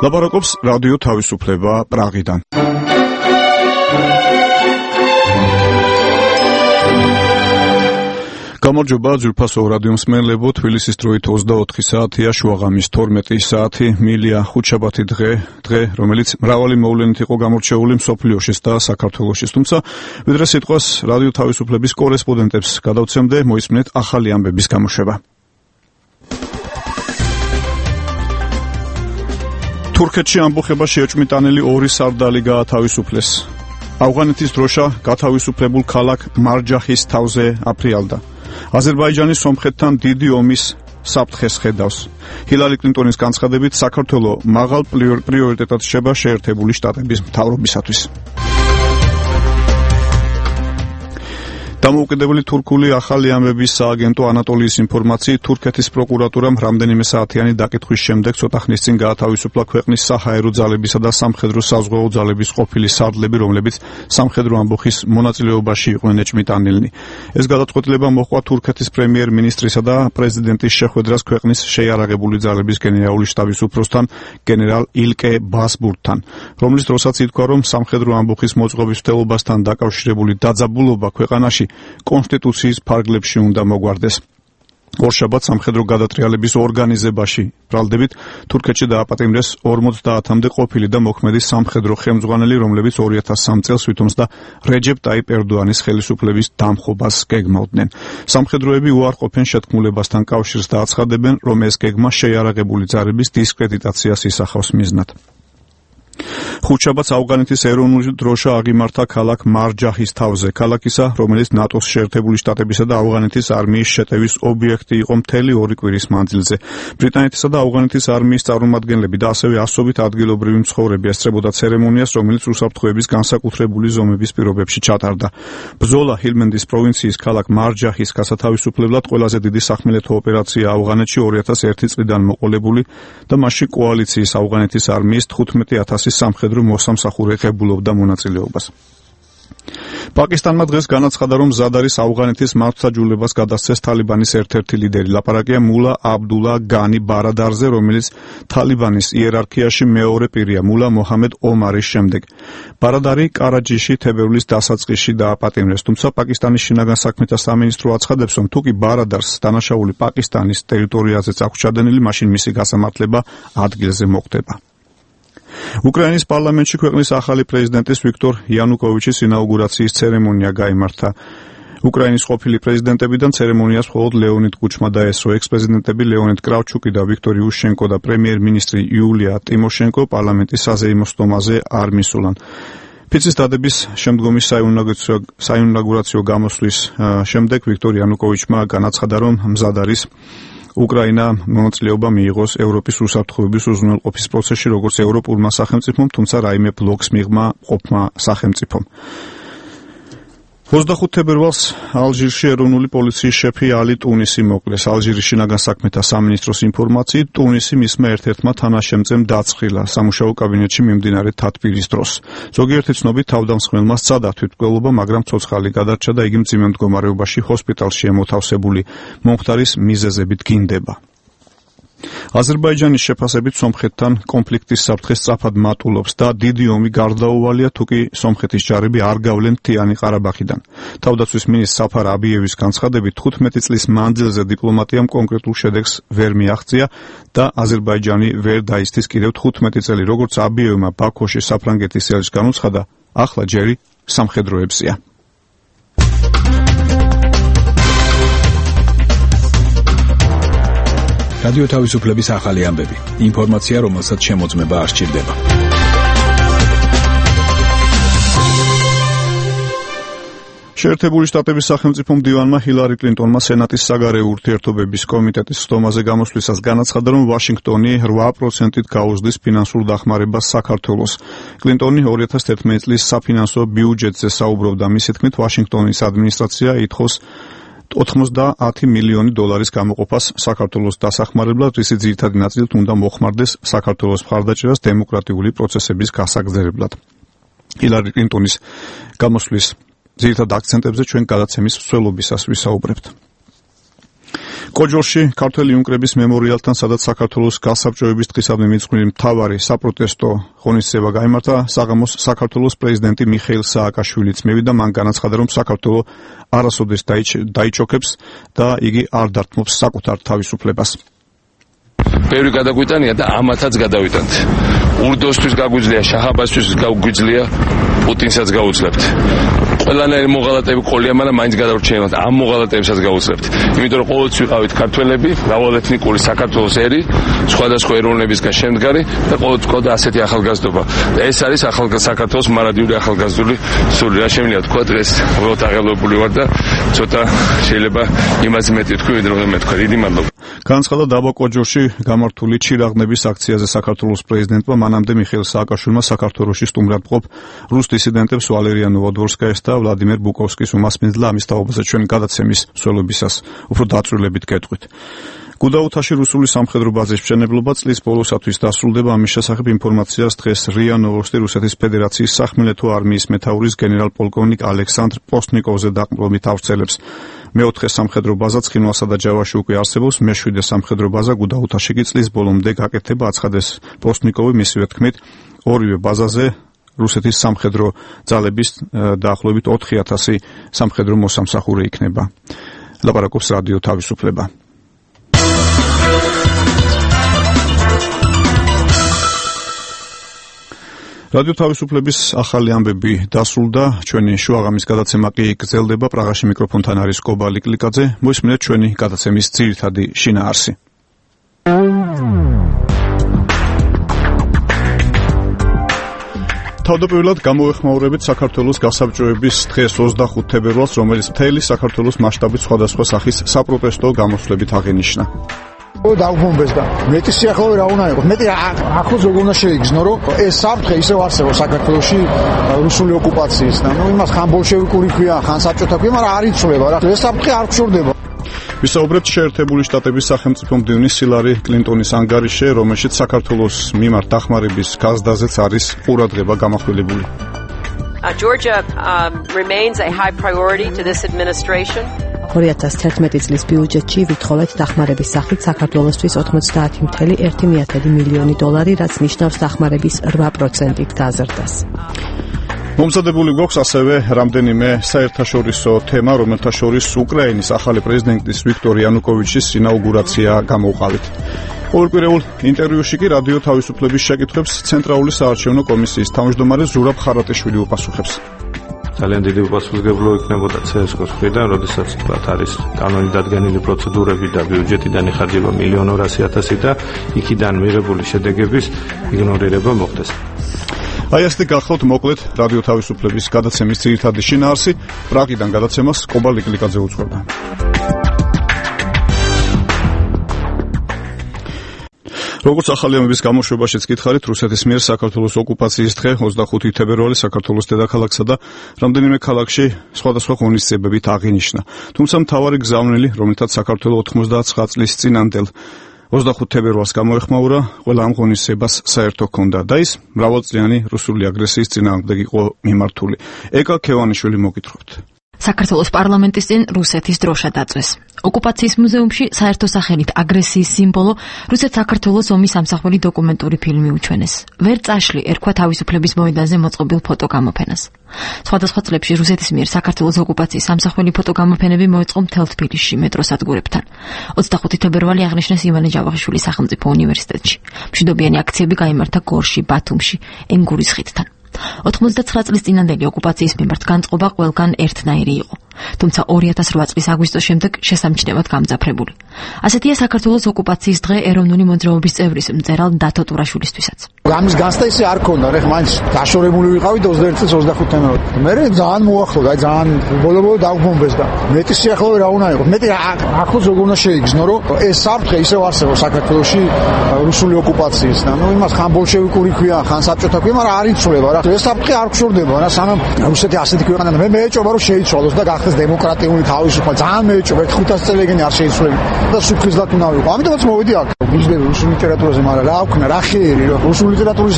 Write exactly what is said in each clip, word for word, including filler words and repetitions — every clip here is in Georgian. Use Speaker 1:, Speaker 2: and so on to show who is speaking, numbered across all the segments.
Speaker 1: ლაპარაკობს რადიო თავისუფლება პრაღიდან. გამარჯობა ძვირფასო რადიო მსმენელებო, თბილისის დროით ოცდაოთხი საათია, შუაღამის თორმეტი საათი, მილია ხუთშაბათი დღე, დღე, რომელიც მრავალი მოვლენით იყო გამორჩეული მსოფლიოშიც და საქართველოშიც. თუმცა, ვიდრე სიტყვას რადიო თავისუფლების კორესპონდენტებს გადავცემდე, მოისმინეთ ახალი ამბების გამოშვება. თურქეთში ამბოხებაში ეჭვმიტანილი ორი სარდალი გაათავისუფლეს. ავღანეთის დროშა გათავისუფლებულ ქალაქ მარჯახის თავზე აფრიალდა. აზერბაიჯანი სომხეთთან დიდი ომის საფრთხეს ხედავს. ჰილარი კლინტონის განცხადებით, საქართველო მაღალ პრიორიტეტად რჩება შეერთებული შტატების მთავრობისათვის. დამოუკიდებელი თურქული ახალი ამბების სააგენტო ანატოლიის ინფორმაციით, თურქეთის პროკურატურამ რამდენიმე საათიანი დაკითხვის შემდეგ ცოტა ხნის წინ გაათავისუფლა ქვეყნის საჰაერო ძალებისა და სამხედრო საზღვაო ძალების ყოფილი სარდლები, რომლებიც სამხედრო ამბოხის მონაწილეობაში იყვნენ ეჭვმიტანილნი. ეს გადაწყვეტილება მოჰყვა თურქეთის პრემიერ-მინისტრისა და პრეზიდენტის შეხვედრას ქვეყნის შეიარაღებული ძალების გენერალური შტაბის უფროსთან გენერალ ილკე ბასბურთთან, რომლის დროსაც ითქვა, რომ სამხედრო ამბოხის მოწყობის მცდელობასთან დაკავშირებული დაძაბულობა ქვეყანაში კონსტიტუციის ფარგლებში უნდა მოგვარდეს. ორშაბათს სამხედრო გადატრიალების ორგანიზებაში ბრალდებით თურქეთში დააპატიმრეს ორმოცდაათამდე ყოფილი და მოქმედი სამხედრო ხელმძღვანელი, რომლებიც ორი ათას სამი წელს ვითომსდა რეჯეპ ტაიპ ერდოანის ხელისუფლების დამხობას გეგმავდნენ. სამხედროები უარყოფენ შეთქმულებასთან კავშირს და აცხადებენ, რომ ეს გეგმა შეიარაღებული ძალების დისკრედიტაციას ისახავს მიზნად. ხუთშაბათს ავღანეთის ეროვნული დროშა აღიმართა ქალაქ მარჯახის თავზე. ქალაქისა, რომელიც ნატოს შეერთებული შტატებისა და ავღანეთის არმიის შეტევის ობიექტი იყო მთელი ორი კვირის მანძილზე. ბრიტანეთისა და ავღანეთის არმიის წარმომადგენლები და ასევე ასობით ადგილობრივი მცხოვრები ესწრებოდა ცერემონიას, რომელიც უსაფრთხოების განსაკუთრებული ზომების პირობებში ჩატარდა. ბრძოლა ჰილმენდის პროვინციის ქალაქ მარჯახის გასათავისუფლებლად ყველაზე დიდი სახმელეთო ოპერაცია ავღანეთში ორი ათას ერთი წლიდან მოყოლებული და მასში კოალიციის ავღანეთის არმიის თხუთმეტი ათასი სამხედრო მოსამსახურე ღებულობდა მონაწილეობას. პაკისტანმა დღეს განაცხადა, რომ მზად არის ავღანეთის მართლმსაჯულებას გადასცეს თალიბანის ერთ-ერთი ლიდერი. ლაპარაკია მულა აბდულა განი ბარადარზე, რომელიც თალიბანის იერარქიაში მეორე პირია მულა მოჰამედ ომარის შემდეგ. ბარადარი კარაჯიში თებერვლის დასაწყისში დააპატიმრეს, თუმცა პაკისტანის შინაგან საქმეთა სამინისტრო აცხადებს, რომ თუკი ბარადარს დანაშაული პაკისტანის ტერიტორიაზეც აქვს ჩადენილი, მაშინ მისი გასამართლება ადგილზე მოხდება. უკრაინის პარლამენტში ქვეყნის ახალი პრეზიდენტის ვიქტორ იანუკოვიჩის ინაუგურაციის ცერემონია გაიმართა. უკრაინის ყოფილი პრეზიდენტებიდან ცერემონიას მხოლოდ ლეონიდ კუჩმა დაესწრო. ექს-პრეზიდენტები ლეონიდ კრავჩუკი და ვიქტორ იუშენკო და პრემიერ-მინისტრი იულია ტიმოშენკო პარლამენტის საზეიმო სტომაზე არ მისულან. ფიცის დადების შემდგომი საინაუგურაციო გამოსვლის შემდეგ ვიქტორ იანუკოვიჩმა განაცხადა, რომ მზად არის უკრაინა მონაწილეობა მიიღოს ევროპის უსაფრთხოების უზრუნველყოფის პროცესში, როგორც ევროპულმა სახელმწიფომ, თუმცა რაიმე ბლოკს მიღმა ყოფმა სახელმწიფომ. ოცდახუთ თებერვალს ალჟირში ეროვნული პოლიციის შეფი ალი ტუნისი მოკლეს. ალჟირის შინაგან საქმეთა სამინისტროს ინფორმაციით, ტუნისი მისმა ერთ-ერთმა თანაშემწემ დაცხილა სამუშაო კაბინეტში მიმდინარე თათბირის დროს. ზოგიერთი ცნობით თავდამსხმელმა სცადა თვითმკვლელობა, მაგრამ ცოცხალი გადარჩა და იგი მძიმე მდგომარეობაში ჰოსპიტალშია მოთავსებული. მომხდარის მიზეზებით გინდება. აზერბაიჯანის შეფასებით სომხეთთან კონფლიქტის საფრთხე სწრაფად მატულობს და დიდი ომი გარდაუვალია, თუკი სომხეთის ჯარები არ გავლენ მთიანი ყარაბაღიდან. თავდაცვის მინისტრ საფარ აბიევის განცხადებით, თხუთმეტი წლის მანძილზე დიპლომატიამ კონკრეტულ შედეგს ვერ მიაღწია და აზერბაიჯანი ვერ დაისთის კიდევ თხუთმეტი წელი, როგორც აბიევმა ბაქოში საფრანგეთის ელჩს განუცხადა, ახლა ჯერი სამხედროებზეა.
Speaker 2: რადიო თავისუფლების ახალი ამბები. ინფორმაცია, რომელსაც შემოწმება არ სჭირდება.
Speaker 1: შეერთებული შტატების სახელმწიფო მდივანმა ჰილარი კლინტონმა სენატის საგარეო ურთიერთობების კომიტეტის სტომაზე გამოსვლისას განაცხადა, რომ ვაშინგტონი რვა პროცენტით გაუზრდის ფინანსურ დახმარებას საქართველოს. კლინტონი ორი ათას თერთმეტი წლის საფინანსო ბიუჯეტზე საუბრობდა. მისი თქმით, ვაშინგტონის ადმინისტრაცია ითხოვს ოთხმოცდაათი მილიონი დოლარის გამოყოფას საქართველოს დასახმარებლად, რის ძირითადი ნაწილით უნდა მოხმარდეს საქართველოს მხარდაჭერას დემოკრატიული პროცესების გასაგრძელებლად. ჰილარი კლინტონის გამოსვლის ძირითად აქცენტებზე ჩვენ გადაცემის მსვლელობისას ვისაუბრებთ. კოჯორში ქართველი უნკრების მემორიალთან, სადაც საქართველოს გასაბჭოების დღისადმი მიძღვნილი მთავარი საპროტესტო ღონისძიება გაიმართა, საღამოს საქართველოს პრეზიდენტი მიხეილ სააკაშვილიც მევიდა. მან განაცხადა, რომ საქართველო არასოდეს დაიჩოქებს და იგი არ დართმობს საკუთარ თავისუფლებას.
Speaker 3: ბევრი გადაგვიტანია და ამათაც გადავიტანთ. ურდოსთვის გაგვიძლია, შაჰაბასთვის გაგვიძლია, პუტინსაც გაუძლებთ. ყველანაირი მოღალატეები ყოლია, მაგრამ მაინც გადავრჩენილობთ. ამ მოღალატეებსაც გაუძლებთ. იმიტომ რომ ყოველთვის ვიყავით ქართველები, მრავალეთნიკური საქართველოს ერი, სხვადასხვა ეროვნებისგან შემდგარი და ყოველთვის ყავდა ასეთი ახალგაზრდობა. ეს არის ახალგაზრდა საქართველოს მარადიული ახალგაზრდული სული. რა შემიძლია თქვა, დღეს უბრალოდ აღელვებული ვარ და ცოტა შეიძლება იმას მეტი თქვი, ვიდრე რომ მე თქვა. დიდი მადლობა.
Speaker 1: განაცხადა დაბა კოჯორში გამართული ჩირაღნების აქციაზე საქართველოს პრეზიდენტმა. მანამდე მიხეილ სააკაშვილმა საქართველოში სტუმრად მყოფ რუს დისიდენტებს ვალერია ნოვოდვორსკაიას და ვლადიმერ ბუკოვსკის უმასპინძლა. ამის თაობაზე ჩვენი გადაცემის მსვლელობისას უფრო დაწვრილებით გეტყვით. გუდაუთაში რუსული სამხედრო ბაზის მშენებლობა წლის ბოლოსათვის დასრულდება. ამის შესახებ ინფორმაციას დღეს რია ნოვოსტი რუსეთის ფედერაციის სახმელეთო არმიის მეთაურის გენერალ-პოლკოვნიკ ალექსანდრ პოსტნიკოვზე დაყრდნობით ავრცელებს. მეოთხე სამხედრო ბაზა ცხინვალსა და ჯავაში უკვე არსებობს. მეშვიდე სამხედრო ბაზა გუდაუთაში კი წლის ბოლომდე გაკეთდება, აცხადეს პოსტნიკოვი. მისივე თქმით, ორივე ბაზაზე რუსეთის სამხედრო ძალების დაახლოებით ოთხი ათასი სამხედრო მოსამსახურე იქნება. ლაპარაკობს რადიო თავისუფლება. რადიო თავისუფლების ახალი ამბები დასრულდა. ჩვენი შუაღამის გადაცემა კი გრძელდება. პრაღაში მიკროფონთან არის კობალი კლიკაძე. მოისმინეთ ჩვენი გადაცემის ძირითადი შინაარსი. თავდაპირველად გამოვეხმაურებით საქართველოს გასაბჭოების დღეს ოცდახუთ თებერვალს, რომელიც მთელი საქართველოს მასშტაბით სხვადასხვა სახის საპროტესტო გამოსვლებით აღინიშნა.
Speaker 4: დაუბრუნდეს და მეტი სიახლოვე რა უნდა იყოს, მეტი ახლოს როგორ უნდა შეიგრძნო, რომ ეს საფრთხე ისევ არსებობს საქართველოში რუსული ოკუპაციის და ნუ იმას ხან ბოლშევიკური ქვია, ხან საბჭოთა ქვია, მაგრამ არ იცვლება რა. ეს საფრთხე არ გშორდება.
Speaker 1: ვისაუბრებთ შეერთებული შტატების სახელმწიფო მდივნის ჰილარი კლინტონის ანგარიშზე, რომელშიც საქართველოს მიმართ დახმარების გაზდაზეც არის ყურადღება გამახვილებული.
Speaker 5: Uh, Georgia um, remains a high priority to this administration.
Speaker 6: ორი ათას თერთმეტი წლის ბიუჯეტში ვითხოვეთ დახმარების სახით საქართველოსთვის ოცდაათი целых ერთი დесятых მილიონი დოლარი, რაც ნიშნავს დახმარების რვა პროცენტით გაზრდას.
Speaker 1: მომზადებული გვაქვს ასევე რამდენიმე საერთაშორისო თემა, რომელთა შორის უკრაინის ახალი პრეზიდენტის ვიქტორ იანუკოვიჩის ინაუგურაცია გამოვყავით. ყოველკვირეულ ინტერვიუში კი რადიო თავისუფლების შეკითხვებს ცენტრალური საარჩევნო კომისიის თავმჯდომარე ზურაბ ხარატიშვილი უპასუხებს.
Speaker 7: ძალიან დიდი უპასუხებლო იქნებოდა ცესკოს მხრიდან, როდესაც თქვა არის კანონით დადგენილი პროცედურები და ბიუჯეტიდან იხარჯება მილიონი ორასი ათასი და იქიდან მიღებული შედეგების იგნორირება მოხდეს.
Speaker 1: აი ასეთი გახლავთ მოკლედ რადიო თავისუფლების გადაცემის ძირითადი შინაარსი. პრაღიდან გადაცემას კობალი კლიკაძე უძღვება. როგორც ახალი ამბების გამოშვებაშიც გითხარით, რუსეთის მიერ საქართველოს ოკუპაციის დღე ოცდახუთი თებერვალი საქართველოს დედაქალაქსა და რამდენიმე ქალაქში სხვადასხვა ღონისძიებებით აღინიშნა. თუმცა მთავარი გზავნილი, რომელთაც საქართველოს ოთხმოცდაცხრა წლის წინანდელ ოცდახუთ თებერვალს გამოეხმაურა, ყველა ამ ღონისძიებას საერთო ჰქონდა და ის მრავალწლიანი რუსული აგრესიის წინააღმდეგ იყო მიმართული. ეკა ქევანიშვილი მოგითხრობთ.
Speaker 8: საქართველოს პარლამენტის წინ რუსეთის დროშა დაწვეს. ოკუპაციის მუზეუმში საერთო სახელით აგრესიის სიმბოლო რუსეთ-საქართველოს ომის ამსახველი დოკუმენტური ფილმი უჩვენეს. ვერ წაშლი ერქვა თავისუფლების მოედანზე მოწყობილ ფოტოგამოფენას. სხვადასხვა წლებში რუსეთის მიერ საქართველოს ოკუპაციის ამსახველი ფოტოგამოფენები მოეწყო მთელ თბილისში მეტროსადგურებთან. ოცდახუთი თებერვალი აღნიშნეს ივანე ჯავახიშვილის სახელმწიფო უნივერსიტეტში. მშვიდობიანი აქციები გაიმართა გორში, ბათუმში, ენგურის ხიდთან. ოცდაათი წლის წინანდელი ოკუპაციის მიმართ განწყობა ყველგან ერთნაირი იყო. თუმცა ორი ათას რვა წლის აგვისტოს შემდეგ შესამჩნევად გამძაფრებული. ასეთია საქართველოს ოკუპაციის დღე ეროვნული მოძრაობის წევრის მწერალ დათო ტურაშვილისთვისაც.
Speaker 4: ამის განცდა ისე არ ქონდა, რა მაინც დაშორებული ვიყავით ოცდაერთი წლის ოცდახუთ თებერვალს. მე ძალიან მოახლოვდა, აი ძალიან ბოლო-ბოლო დაგვბომბეს და მეტი სიახლოვე რა უნდა იყოს, მეტი ახლოს როგორ უნდა შეიგრძნო, რომ ეს საფრთხე ისევ არსებობს საქართველოში რუსული ოკუპაციის და ნუ იმას ხან ბოლშევიკური ქვია, ხან საბჭოთა ქვია, მაგრამ არ იცვლება რა. ეს საფრთხე არ გშორდება რა, სანამ რუსეთი ასეთი ქვეყანა და მე მეეჭობა რომ შეიცვალოს და გახდეს დემოკრატიული თავისუფლება. ძალიან მეეჭობა, ხუთას წელი ეგენი არ შეიცვლება და სუფრიზლად უნდა ვიყო. ამიტომაც მოვედი აქ. ვიждები რუსულ ლიტერატურაზე, მაგრამ რა აქვს, რა ხიერი, რომ რუსულ ლიტერატურის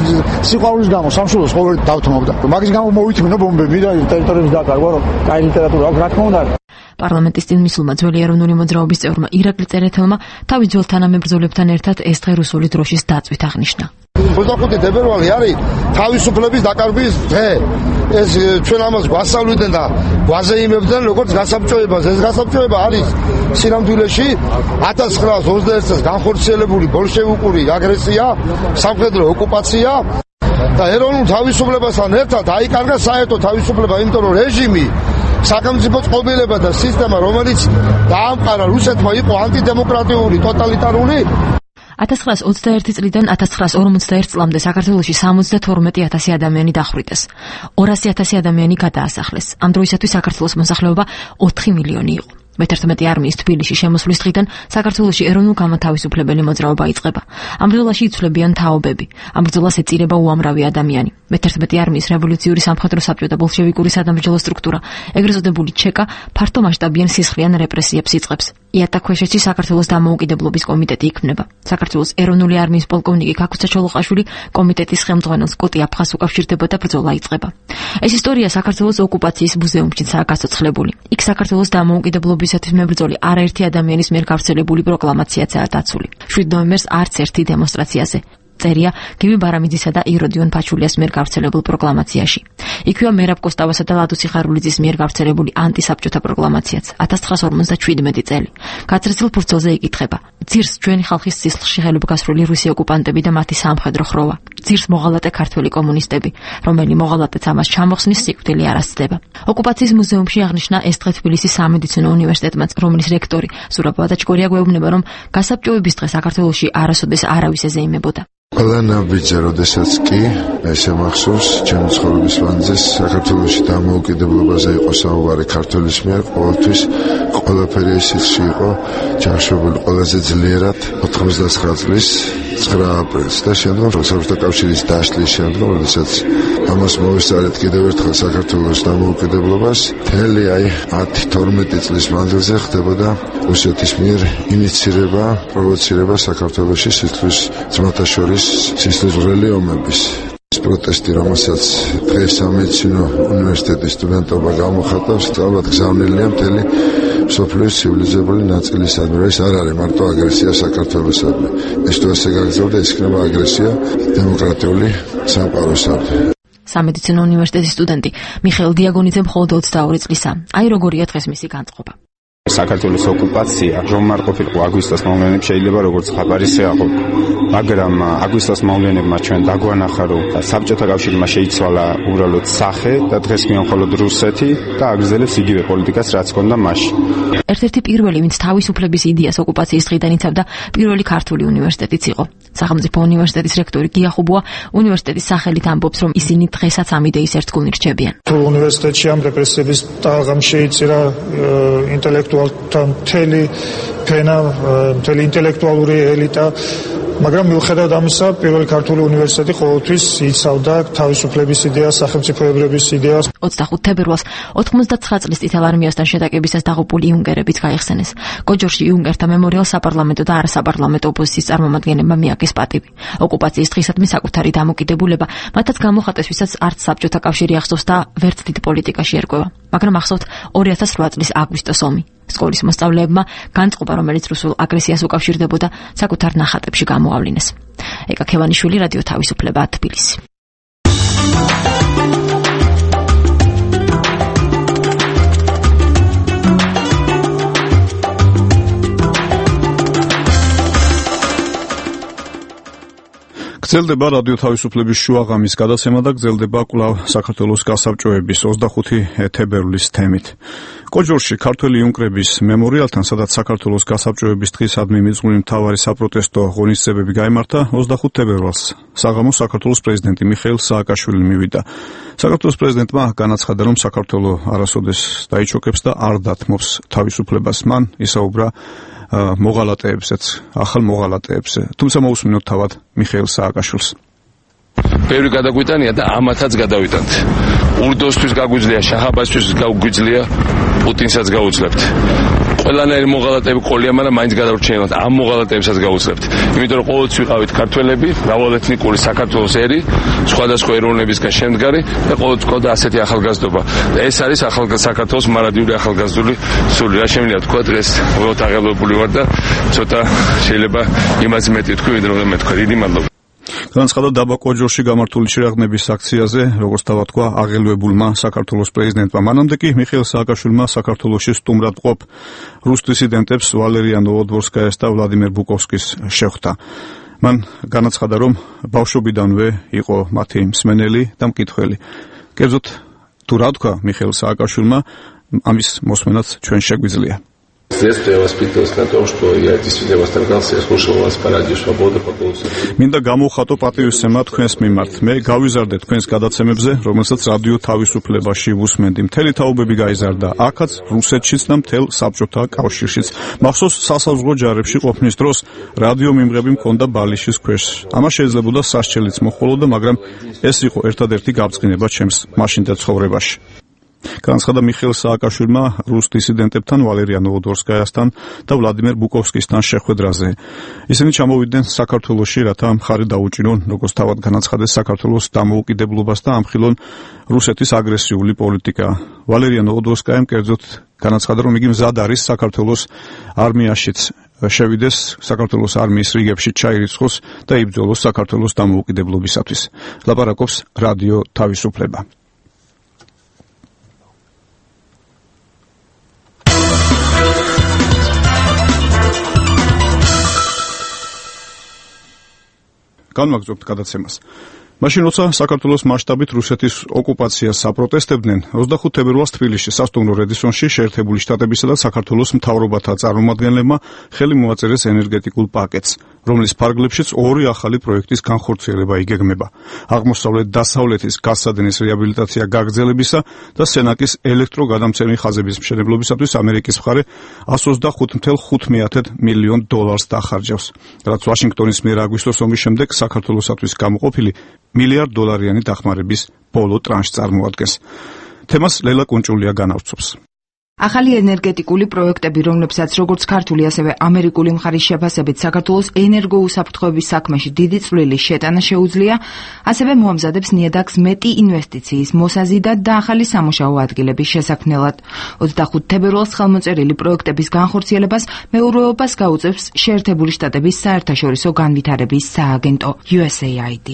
Speaker 4: სიყვარულის გამო სამშობლოს ყოველ დავთმობდა. მაგის გამო მოვითმინო ბომბები და ტერიტორიებს დაკარგვა, რომ კაი ლიტერატურა აქვს, რა თქმა უნდა.
Speaker 8: პარლამენტის წინ მისულმა ძველი ეროვნული მოძრაობის წევრმა ირაკლი წერეთელმა თავის ძველ თანამებრძოლებთან ერთად ეს დღე რუსული დროშის დაწვით აღნიშნა.
Speaker 9: ოცდახუთი თებერვალი არის თავისუფლების დაკარგვის დღე. ეს ჩვენ ამას გვასწავლიდან და გვაზეიმებდნენ როგორც გასაბჭოებას. ეს გასაბჭოება არის სინამდვილეში ათას ცხრაას ოცდაერთ წელს განხორციელებული ბოლშევიკური აგრესია, სამხედრო ოკუპაცია და ეროვნულ თავისუფლებასთან ერთად აიკარგა საერთო თავისუფლება, იმიტომ რომ რეჟიმი, სახელმწიფო წყობილება და სისტემა, რომელიც დაამყარა რუსეთმა, იყო ანტიდემოკრატიული, ტოტალიტარული.
Speaker 8: ათას ცხრაას ოცდაერთი წლიდან ათას ცხრაას ორმოცდაერთ წლამდე საქართველოში სამოცდათორმეტი ათასი ადამიანი დახვრიტეს. ორასი ათასი ადამიანი გადაასახლეს. ამ დროისათვის საქართველოს მოსახლეობა ოთხი მილიონი იყო. მეთერთმეტე არმიის თბილისში შემოსვლის დღიდან საქართველოში ეროვნულ-განმათავისუფლებელი მოძრაობა იწყება. ამ ბრძოლაში იცვლებიან თაობები. ამ ბრძოლას ეწირება უამრავი ადამიანი. მეთერთმეტე არმიის რევოლუციური სამხედრო საბჭო და ბოლშევიკური სადამბრძოლო სტრუქტურა, ეგრეთ წოდებული ჩეკა, ფართო მასშტაბიან სისხლიან რეპრესიებს იწყებს. იატაკქვეშეთში საქართველოს დამოუკიდებლობის კომიტეტი იქმნება. საქართველოს ეროვნული არმიის პოლკოვნიკი ქაქუცა ჩოლოყაშვილი კომიტეტის ხელმძღვანელს კოტი აფხაზს უკავშირდება და ბრძოლა იწყება. ეს ისტორია საქართველოს ოკუპაციის მუზეუმშიცაა გასოცხლებული. იქ საქართველოს დამოუკიდებლობისათვის მებრძოლი არაერთი ადამიანის მიერ გავრცელებული პროკლამაციაცაა დაცული. შვიდ ნოემბერს არც ერთი დემონსტრაციაზე. წერია გივი ბარამიძისა და იროდიონ ფაჩულიას მიერ გავრცელებულ პროკლამაციაში. იქვეა მერაბ კოსტავასა და ლადოსი ხარულიძის მიერ გავრცელებული ანტისაბჭოთა პროკლამაციაც ათას ცხრაას ორმოცდაშვიდმეტი წელი. გაცრეცილ ფურცელზე იკითხება: ძირს ჩვენი ხალხის სისხლში ხელობგასრული რუსი ოკუპანტები და მათი სამხედრო ხროვა. ძირს მოღალატე ქართველი კომუნისტები, რომელი მოღალატეც ამას ჩამოხსნის სიკვდილი არ ასწდება. ოკუპაციის მუზეუმში აღნიშნა ეს დღე თბილისის სამედიცინო უნივერსიტეტმაც, რომლის რექტორი სურაბ ვადაჩგორია გვეუბნება, რომ გასაბჭოების დღე საქართველოში არასოდეს არავის ეზეიმებოდა.
Speaker 10: ყველა ნაბიჯი, როდესაც კი ესე მახსოვს ჩემი ცხოვრების მანძილზე საქართველოში დამოუკიდებლობაზე იყო საუბარი ქართველის მიერ, ყოველთვის ყველაფერი ისიც იყო ჩახშობილი ყველაზე ძლიერად ოთხმოცდაცხრა წლის ცხრა აპრილს და შემდგომ საბჭოთა კავშირის დაშლის შემდგომ, როდესაც ამას მოვესწარეთ კიდევ ერთხელ საქართველოს დამოუკიდებლობას, მთელი აი ათი თორმეტი წლის მანძილზე ხდებოდა რუსეთის მიერ ინიცირება, პროვოცირება საქართველოში სისხლის ძმათა შორის სისხლის ვრელი ომების. ეს პროტესტი, რომელსაც დღეს სამედიცინო უნივერსიტეტის სტუდენტობა გამოხატავს, სწავლად გზავნილია მთელი მსოფლიოს ცივილიზებული ნაწილისადმი. ეს არ არის მარტო აგრესია საქართველოსადმი. ეს თუ ასე გაგრძელდა, ეს იქნება აგრესია დემოკრატიული სამყაროსადმი.
Speaker 8: სამედიცინო უნივერსიტეტის სტუდენტი მიხეილ დიაგონიძე მხოლოდ ოცდაორი წლისა. აი როგორია დღეს მისი განწყობა.
Speaker 11: საქართველოს ოკუპაცია რომ არ ყოფილიყო აგვისტოს მოვლენები შეიძლება როგორც ხაბარის ეყო, მაგრამ აგვისტოს მოვლენებმა ჩვენ დაგვანახა, რომ საბჭოთა კავშირმა შეიცვალა უბრალოდ სახე და დღეს მხოლოდ რუსეთი და აგრძელებს იგივე პოლიტიკას, რაც ჰქონდა მაშინ.
Speaker 8: ერთ-ერთი პირველი, ვინც თავისუფლების იდეას ოკუპაციის დღიდან იცავდა, პირველი ქართული უნივერსიტეტიც იყო. სახელმწიფო უნივერსიტეტის რექტორი გია ხუბუა უნივერსიტეტის სახელით ამბობს, რომ ისინი დღესაც ამ იდეის ერთგულნი რჩებიან.
Speaker 12: თუ უნივერსიტეტში ამ რეპრესიების ტალღამ შეიწირა ინტელექტუალთა მთელი ფენა, მთელი ინტელექტუალური ელიტა, მაგრამ მიუხედავად ამისა, პირველი ქართული უნივერსიტეტი ყოველთვის იცავდა თავისუფლების იდეას, სახელმწიფოებრების იდეას.
Speaker 8: ოცდახუთ თებერვალს ოთხმოცდაცხრა წლის წითელ არმიასთან შეტაკებისას დაღუპული იუნკერებიც გაიხსენეს. გოჯორში იუნკერთა მემორიალს საპარლამენტო და არასაპარლამენტო ოპოზიციის წარმომადგენლებმა მიაკეს პატივი. ოკუპაციის დღისადმი საკუთარი დამოკიდებულება მათაც გამოხატეს, ვისაც არც საბჭოთა კავშირი ახსოვს და ვერც დიდ პოლიტიკაში ერკვევა. მაგრამ ახსოვთ ორი ათას რვა წლის აგვისტოს ომი. სკოლის მოსწავლეებმა განწყობა, რომელიც რუსულ აგრესიას უკავშირდებოდა, საკუთარ ნახატებში გამოავლინეს. ეკა ქევანიშვილი, რადიო თავისუფლება, თბილისი.
Speaker 1: გრძელდება რადიო თავისუფლების შუაღამის გადაცემა და გრძელდება კვლავ საქართველოს გასაბჭოების ოცდახუთი თებერვლის თემით. კოჯორში ქართველი იუნკერების მემორიალთან, სადაც საქართველოს გასაბჭოების დღისადმი მიძღვნილი მთავარი საპროტესტო ღონისძიებები გაიმართა, ოცდახუთ თებერვალს საღამოს საქართველოს პრეზიდენტი მიხეილ სააკაშვილი მივიდა. საქართველოს პრეზიდენტმა განაცხადა, რომ საქართველო არასოდეს დაიჩოქებს და არ დათმობს თავისუფლებას. მან ისაუბრა მოღალატეებსაც, ახალ მოღალატეებზე. თუმცა მოусმინოთ თავად მიხეილ სააკაშვილს.
Speaker 3: ბევრი გადაგვიტანია და ამათაც გადავიტანთ. ურდოსთვის გაგვიძლია, შაჰაბასთვის გაგვიძლია, პუტინსაც გაუძლებთ. ყველანაირი მოღალატეები ყოლია, მაგრამ მაინც გადავრჩენილობთ ამ მოღალატეებსაც გავუძლებთ. იმიტომ რომ ყოველთვის ვიყავით ქართველები, მრავალეთნიკური საქართველოს ერი, სხვადასხვა ეროვნებისგან შემდგარი და ყოველთვის ყავდა ასეთი ახალგაზრდობა. და ეს არის ახალგაზრდა საქართველოს მარადიული ახალგაზრდული სული. რა შემიძლია თქვა დღეს უბრალოდ აღელვებული ვარ და ცოტა შეიძლება იმას მეტი თქვი, ვიდრე რომ მე თქვა. დიდი მადლობა.
Speaker 1: განაცხადა დაბა კოჯორში გამართული შეგრძნების აქციაზე, როგორც დავთქვა, აღელვებულმა საქართველოს პრეზიდენტმა. მანამდე კი მიხეილ სააკაშვილმა საქართველოში სტუმრად მყოფ რუს დისიდენტებს ვალერია ნოვოდვორსკაიას და ვლადიმერ ბუკოვსკის შეხვდა. მან განაცხადა, რომ ბავშვობიდანვე იყო მათი მსმენელი და მკითხველი. კერძოდ, თუ რა თქვა მიხეილ სააკაშვილმა, ამის მოსმენაც ჩვენ შეგვიძლია.
Speaker 3: С детства я воспитывался на том, что я действительно восторгался, я слушал вас по радио «Свобода» по голосу.
Speaker 1: მინდა გამოვხატო პატივისცემა თქვენს მიმართ. მე გავიზარდე თქვენს გადაცემებზე, რომელსაც რადიო თავისუფლებაში ვუსმენდი. მთელი თაობები გაიზარდა. აქაც, რუსეთშიც და მთელ საბჭოთა კავშირშიც. მახსოვს სასაზღვრო ჯარებში ყოფნის დროს რადიო მიმღები მქონდა ბალიშის ქვეშ. ამას შეიძლებოდა სასჯელიც მოჰყოლოდა, მაგრამ ეს იყო ერთადერთი გაბრწყინება ჩემს მაშინდელ ცხოვრებაში. განაცხადა მიხეილ სააკაშვილმა რუს დისიდენტებთან, ვალერია ნოვოდვორსკაიასთან და ვლადიმერ ბუკოვსკისთან შეხვედრაზე. ისინი ჩამოვიდნენ საქართველოში, რათა მხარი დაუჭირონ, როგორც თავად განაცხადეს, საქართველოს დამოუკიდებლობას და ამხილონ რუსეთის აგრესიული პოლიტიკა. ვალერია ნოვოდვორსკაიამ კერძოდ განაცხადა, რომ იგი მზად არის საქართველოს არმიაშიც შევიდეს, საქართველოს არმიის რიგებში ჩაირიცხოს და იბრძოლოს საქართველოს დამოუკიდებლობისათვის. ლაპარაკობს რადიო თავისუფლება. განვაგრძობთ გადაცემას. მაშინ როცა საქართველოს მასშტაბით რუსეთის ოკუპაციას საპროტესტებდნენ, ოცდახუთ თებერვალს თბილისში სასტუმრო რედისონში შეერთებული შტატებისა და საქართველოს მთავრობათა წარმომადგენლებმა ხელი მოაწერეს ენერგეტიკულ პაკეტს, რომლის ფარგლებშიც ორი ახალი პროექტის განხორციელება იგეგმება. აღმოსავლეთ-დასავლეთის გაზსადენის რეაბილიტაცია გაგრძელებისა და სენაკის ელექტროგადამცემი ხაზების მშენებლობისათვის ამერიკის მხარე εκατს ოცდახუთ целых ხუთ მილიონ დოლარს დახარჯავს, რაც ვაშინგტონის მიერ აგვისტოს ომის შემდეგ საქართველოსათვის გამოყოფილი მილიარდ დოლარიანი დახმარების ბოლო ტრანშს წარმოადგენს. თემას ლელა კუნჭულია განავრცობს.
Speaker 13: ახალი ენერგეტიკული პროექტები, რომლებსაც როგორც ქართული, ასევე ამერიკული მხარის შეფასებით საქართველოს ენერგოუსაფრთხოების საქმეში დიდი წვლილი შეტანა შეუძლია, ასევე მოამზადებს ნიადაგს მეტი ინვესტიციის მოსაზიდად და ახალი სამუშაო ადგილების შესაქმნელად. ოცდახუთ თებერვალს ხელმოწერილი პროექტების განხორციელებას მეურვეობას გაუწევს შეერთებული შტატების საერთაშორისო განვითარების სააგენტო U S A I D.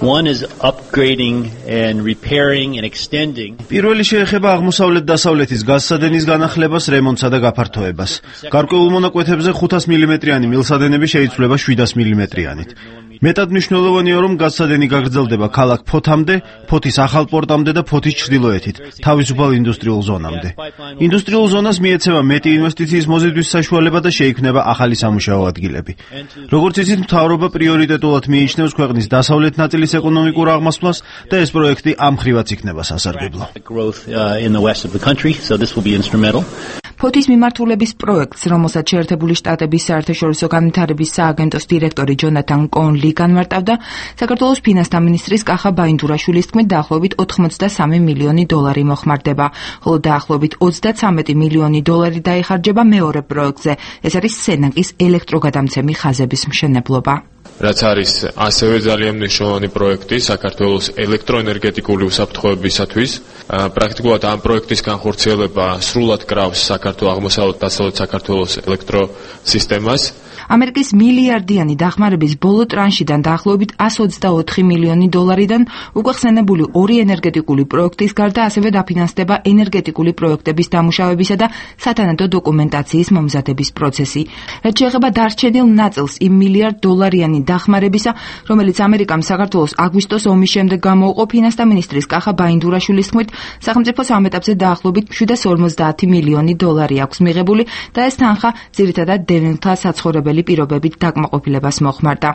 Speaker 14: One is upgrading and repairing and extending.
Speaker 15: პირველი შეეხება აღმოსავლეთ-დასავლეთის გაზსადენის განახლებას, რემონტსა და გაფართოებას. გარკვეულ მონაკვეთებზე ხუთას მილიმეტრიანი მილსადენები შეიცვლება შვიდას მილიმეტრიანით. მეტად მნიშვნელოვანია, რომ გაზსადენი გაგრძელდება ქალაქ ფოთამდე, ფოთის ახალ პორტამდე და ფოთის ჩრდილოეთით, თავისუფალ ინდუსტრიულ ზონამდე. ინდუსტრიულ ზონას მიეცემა მეტი ინვესტიციის მოზიდვის საშუალება და შეიქმნება ახალი სამუშაო ადგილები. როგორც იცით, მთავრობა პრიორიტეტულად მიიჩნევს ქვეყნის დასავლეთ ნაწილის ეკონომიკურ აღმასვლას და ეს პროექტი ამ ხრივაც იქნება სასარგებლო.
Speaker 13: ფოთის მიმართულების პროექტს, რომელსაც შეერთებული შტატების საერთაშორისო განვითარების სააგენტოს დირექტორი ჯონათან კონლი განმარტავდა, საქართველოს ფინანსთა მინისტრის კახა ბაინდურაშვილის თქმით, დაახლოებით ოთხმოცდასამი მილიონი დოლარი მოხმარდება, ხოლო დაახლოებით ოცდაცამეტი მილიონი დოლარი დაიხარჯება მეორე პროექტზე. ეს არის სენაკის ელექტროგადამცემი ხაზების მშენებლობა.
Speaker 16: რაც არის ასევე ძალიან მნიშვნელოვანი პროექტი საქართველოს ელექტროენერგეტიკული უსაფრთხოებისათვის. პრაქტიკულად ამ პროექტის განხორციელება სრულად კრავს საქართველოს აღმოსავლეთ-დასავლეთ საქართველოს ელექტროსისტემას.
Speaker 13: ამერიკის მილიარდიანი დახმარების ბოლო ტრანშიდან დაახლოებით εκατს ოცდაოთხი მილიონი დოლარიდან უკვე ხსენებული ორი ენერგეტიკული პროექტის გარდა ასევე დაფინანსდება ენერგეტიკული პროექტების დამუშავებისა და სათანადო დოკუმენტაციის მომზადების პროცესი. რაც შეეხება დარჩენილ ნაწილს იმ მილიარდ დოლარიანი დახმარებისა, რომელიც ამერიკამ საქართველოს აგვისტოს ომის შემდეგ გამოუყო, ფინანსთა მინისტრის კახა ბაინდურაშვილის თქმით, სახელმწიფოს ამ ეტაპზე დაახლოებით შვიდას ორმოცდაათი მილიონი დოლარი აქვს მიღებული და ეს თანხა ძირითადად დევნილთა საცხოვრებელი პირობებით დაკმაყოფილებას მოხმარდა.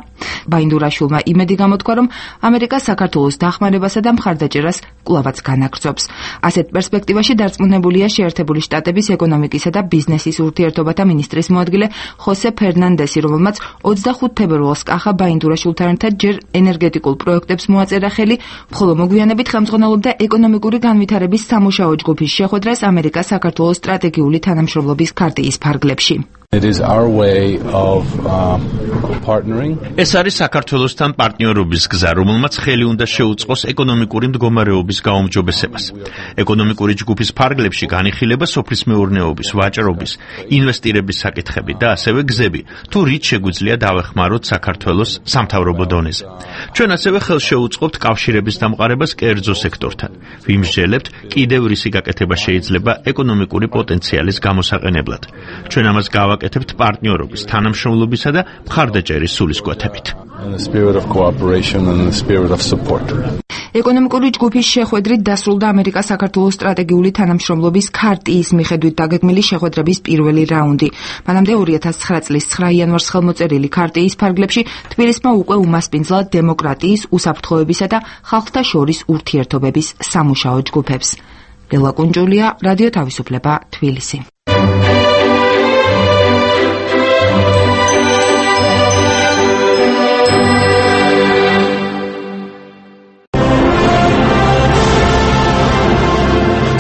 Speaker 13: ბაინდურაშვილმა იმედი გამოთქვა, რომ ამერიკა საქართველოს დახმარებასა და მხარდაჭერას კვლავაც განაგრძობს. ასეთ პერსპექტივაში დარწმუნებულია შეერთებული შტატების ეკონომიკისა და ბიზნესის ურთიერთობათა მინისტრის მოადგილე ხოსე ფერნანდესი, რომელმაც ოცდახუთ თებერვალს კახა ხახა ბაინდურაშვილთან ერთად ჯერ ენერგეტიკულ პროექტებს მოაწერა ხელი, ხოლო მოგვიანებით ხელმძღვანელობდა ეკონომიკური განვითარების სამუშაო ჯგუფის შეხვედრას ამერიკას საქართველოს სტრატეგიული თანამშრომლობის ქარტიის ფარგლებში.
Speaker 17: It is our way of uh, partnering.
Speaker 18: ეს არის საქართველოსთან პარტნიორობის გზა, რომელმაც ხელი უნდა შეუწყოს ეკონომიკური მდგომარეობის გაუმჯობესებას. ეკონომიკური ჯგუფის ფარგლებში განიხილება სოფლის მეურნეობის, ვაჭრობის, ინვესტირების საკითხები და ასევე გზები, თუ რით შეგვიძლია დავეხმაროთ საქართველოს სამთავრობო დონეზე. ჩვენ ასევე ხელს შეუწყობთ კავშირების დამყარებას კერძო სექტორთან. ვიმსჯელებთ, კიდევ რისი გაკეთება შეიძლება ეკონომიკური პოტენციალის გამოსაყენებლად. ჩვენ ამას გავაკეთებთ აკეთებთ პარტნიორობის, თანამშრომლობისა და მხარდაჭერის სულისკვეთებით.
Speaker 13: ეკონომიკური ჯგუფის შეხვედრით დასრულდა ამერიკას საქართველოს სტრატეგიული თანამშრომლობის ქარტიის მიხედვით დაგეგმილი შეხვედრების პირველი რაუნდი. მანამდე ორი ათას ცხრა წლის ცხრა იანვარს ხელმოწერილი ქარტიის ფარგლებში თბილისმა უკვე უმასპინძლა დემოკრატიის, უსაფრთხოებისა და ხალხთა შორის ურთიერთობების სამუშაო ჯგუფებს. ბელა კუნჯულია, რადიო თავისუფლება, თბილისი.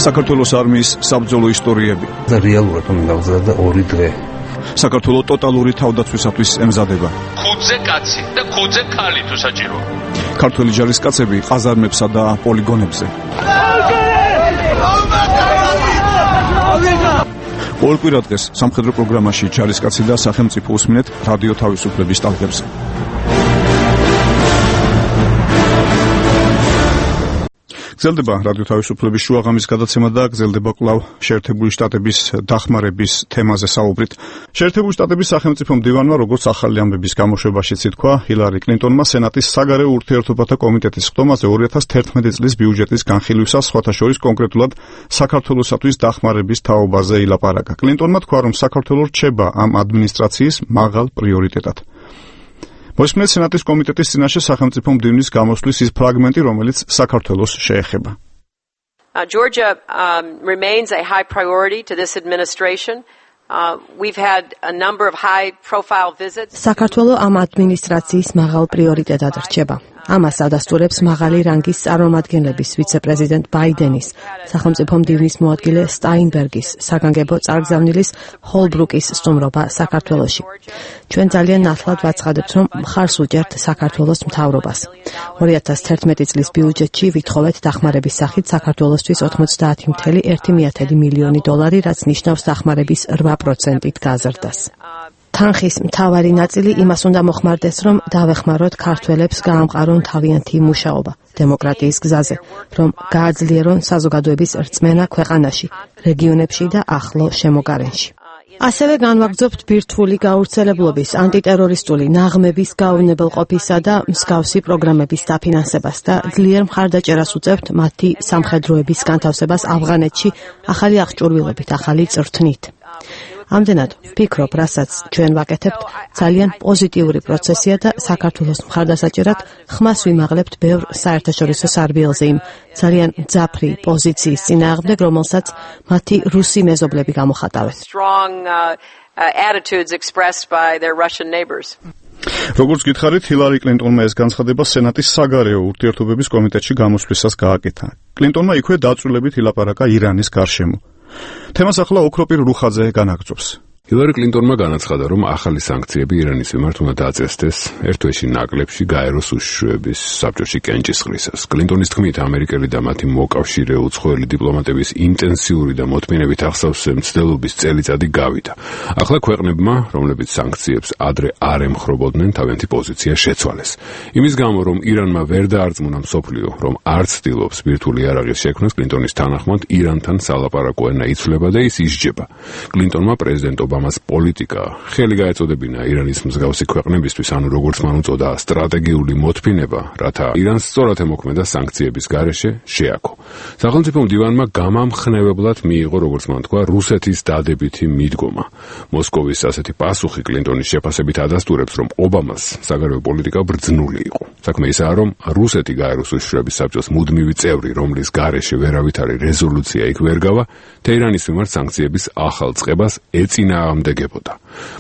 Speaker 1: საქართველოს არმიის საბრძოლო ისტორიები.
Speaker 19: და რეალურად უნდა გავზარდა ორი დღე.
Speaker 1: საქართველოს ტოტალური თავდაცვისათვის ემზადება.
Speaker 3: ხუთზე კაცი და ხუთზე ქალი თუ საჭიროა.
Speaker 1: ქართველი ჯარისკაცები ყაზარმებსა და პოლიგონებზე. ყოველ კვირა დღეს სამხედრო პროგრამაში ჯარისკაცი და სახელმწიფო უსმინეთ რადიო თავისუფლების ტალღებზე. გრძელდება რადიო თავისუფლების შუაღამის გადაცემა და გრძელდება კვლავ შეერთებული შტატების დახმარების თემაზე საუბრით. შეერთებული შტატების სახელმწიფო მდივანმა, როგორც ახალი ამბების გამოშვებაშიც ითქვა, ჰილარი კლინტონმა სენატის საგარეო ურთიერთობათა კომიტეტის ხდომაზე ორი ათას თერთმეტი წლის ბიუჯეტის განხილვისას სხვათა შორის კონკრეტულად საქართველოსათვის დახმარების თაობაზე ილაპარაკა. კლინტონმა თქვა, რომ საქართველო რჩება ამ ადმინისტრაციის მაღალ პრიორიტეტად. მოსმენთ სენატის კომიტეტის წინაშე სახელმწიფო მდივნის გამოსვლის ის ფრაგმენტი, რომელიც საქართველოს შეეხება.
Speaker 5: Uh, Georgia um, remains a high priority to this administration. Uh, we've had a number of high-profile visits.
Speaker 6: საქართველო ამ ადმინისტრაციის მაღალ პრიორიტეტად რჩება. ამას ადასტურებს მაღალი რანგის წარმომადგენლების ვიცე-პრეზიდენტ ბაიდენის, სახელმწიფო მდივნის მოადგილე სტაინბერგის, საგანგებო წარგზავნილის ჰოლბრუკის სტუმრობა საქართველოში. ჩვენ ძალიან ნათლად ვაცხადებთ, რომ მხარს უჭერთ საქართველოს მთავრობას. ორი ათას თერთმეტი წლის ბიუჯეტში ვითხოვეთ დახმარების სახით საქართველოსთვის ოთხმოცდაათი წუთი ერთი მილიონი დოლარი, რაც ნიშნავს დახმარების რვა პროცენტით გაზრდას. თანხის მთავარი ნაწილი იმას უნდა მოხმარდეს, რომ დავეხმაროთ ქართველებს გაამყარონ თავიანთი მუშაობა დემოკრატიის გზაზე, რომ გააძლიერონ საზოგადოების რწმენა ქვეყანაში, რეგიონებში და ახლო შემოგარენში. ასევე განვაგრძობთ ბირთვული გავრცელებლობის, ანტიტერორისტული ნაღმების გაუვნებელყოფისა და მსგავსი პროგრამების დაფინანსებას და ძლიერ მხარდაჭერას უწევთ მათი სამხედროების განთავსებას ავღანეთში ახალი აღჭურვილობით, ახალი წრთნით. ამდენად ვფიქრობ, რასაც ჩვენ ვაკეთებთ, ძალიან პოზიტიური პროცესია და საქართველოს მხარდასაჭერად ხმას ვიმაღლებთ ბევრ საერთაშორისო სარბიელზე იმ ძალიან მძაფრი პოზიციის წინააღმდეგ, რომელსაც მათი რუსი მეზობლები გამოხატავენ.
Speaker 1: როგორც გითხარით, ჰილარი კლინტონმა ეს განცხადება სენატის საგარეო ურთიერთობების კომიტეტში გამოსვლისას გააკეთა. კლინტონმა იქვე დაწვრილებით ილაპარაკა ირანის გარშემო. თემას ახლა ოქროპირ რუხაძე განაგრძობს.
Speaker 20: ჰილარი კლინტონმა განაცხადა, რომ ახალი სანქციები ირანის მიმართ უნდა დაწესდეს ერთ თვეში ნაკლებში გაეროს უშიშროების საბჭოში კენჭისყრისას. კლინტონის თქმით, ამერიკელი და მათი მოკავშირე უცხოელი დიპლომატების ინტენსიური და მოთმინებით ახსავსე მცდელობის წელიწადი გავიდა. ახლა ქვეყნებმა, რომლებიც სანქციებს ადრე არ ემხრობოდნენ, თავიანთი პოზიცია შეცვალეს. იმის გამო, რომ ირანმა ვერ დაარწმუნა მსოფლიო, რომ არ ცდილობს ბირთვული იარაღის შექმნას, კლინტონის თანახმად ირანთან სალაპარაკო ენა იცვლება და ის ისჯება. კლინტონმა პრეზიდენტ ობამას პოლიტიკა ხელი გაეწოდებინა ირანის მსგავსი ქვეყნებისთვის, ანუ როგორც მან უწოდა სტრატეგიული მოთმინება, რათა ირანს სწორად ემოქმედა სანქციების გარეშე შეაქო. სახელმწიფო მდივანმა გამამხნევებლად მიიღო, როგორც მან თქვა, რუსეთის დადებითი მიდგომა. მოსკოვის ასეთი პასუხი კლინტონის შეფასებით ადასტურებს, რომ ობამას საგარეო პოლიტიკა ბრძნული იყო. საქმე ისაა, რომ რუსეთი გაეროს უშიშროების საბჭოს მუდმივი წევრი, რომლის გარეშე ვერავითარი რეზოლუცია იქ ვერ გავა, თეირანის მიმართ სანქციების ახალ წყებას ეწინა წინააღმდეგებოდა.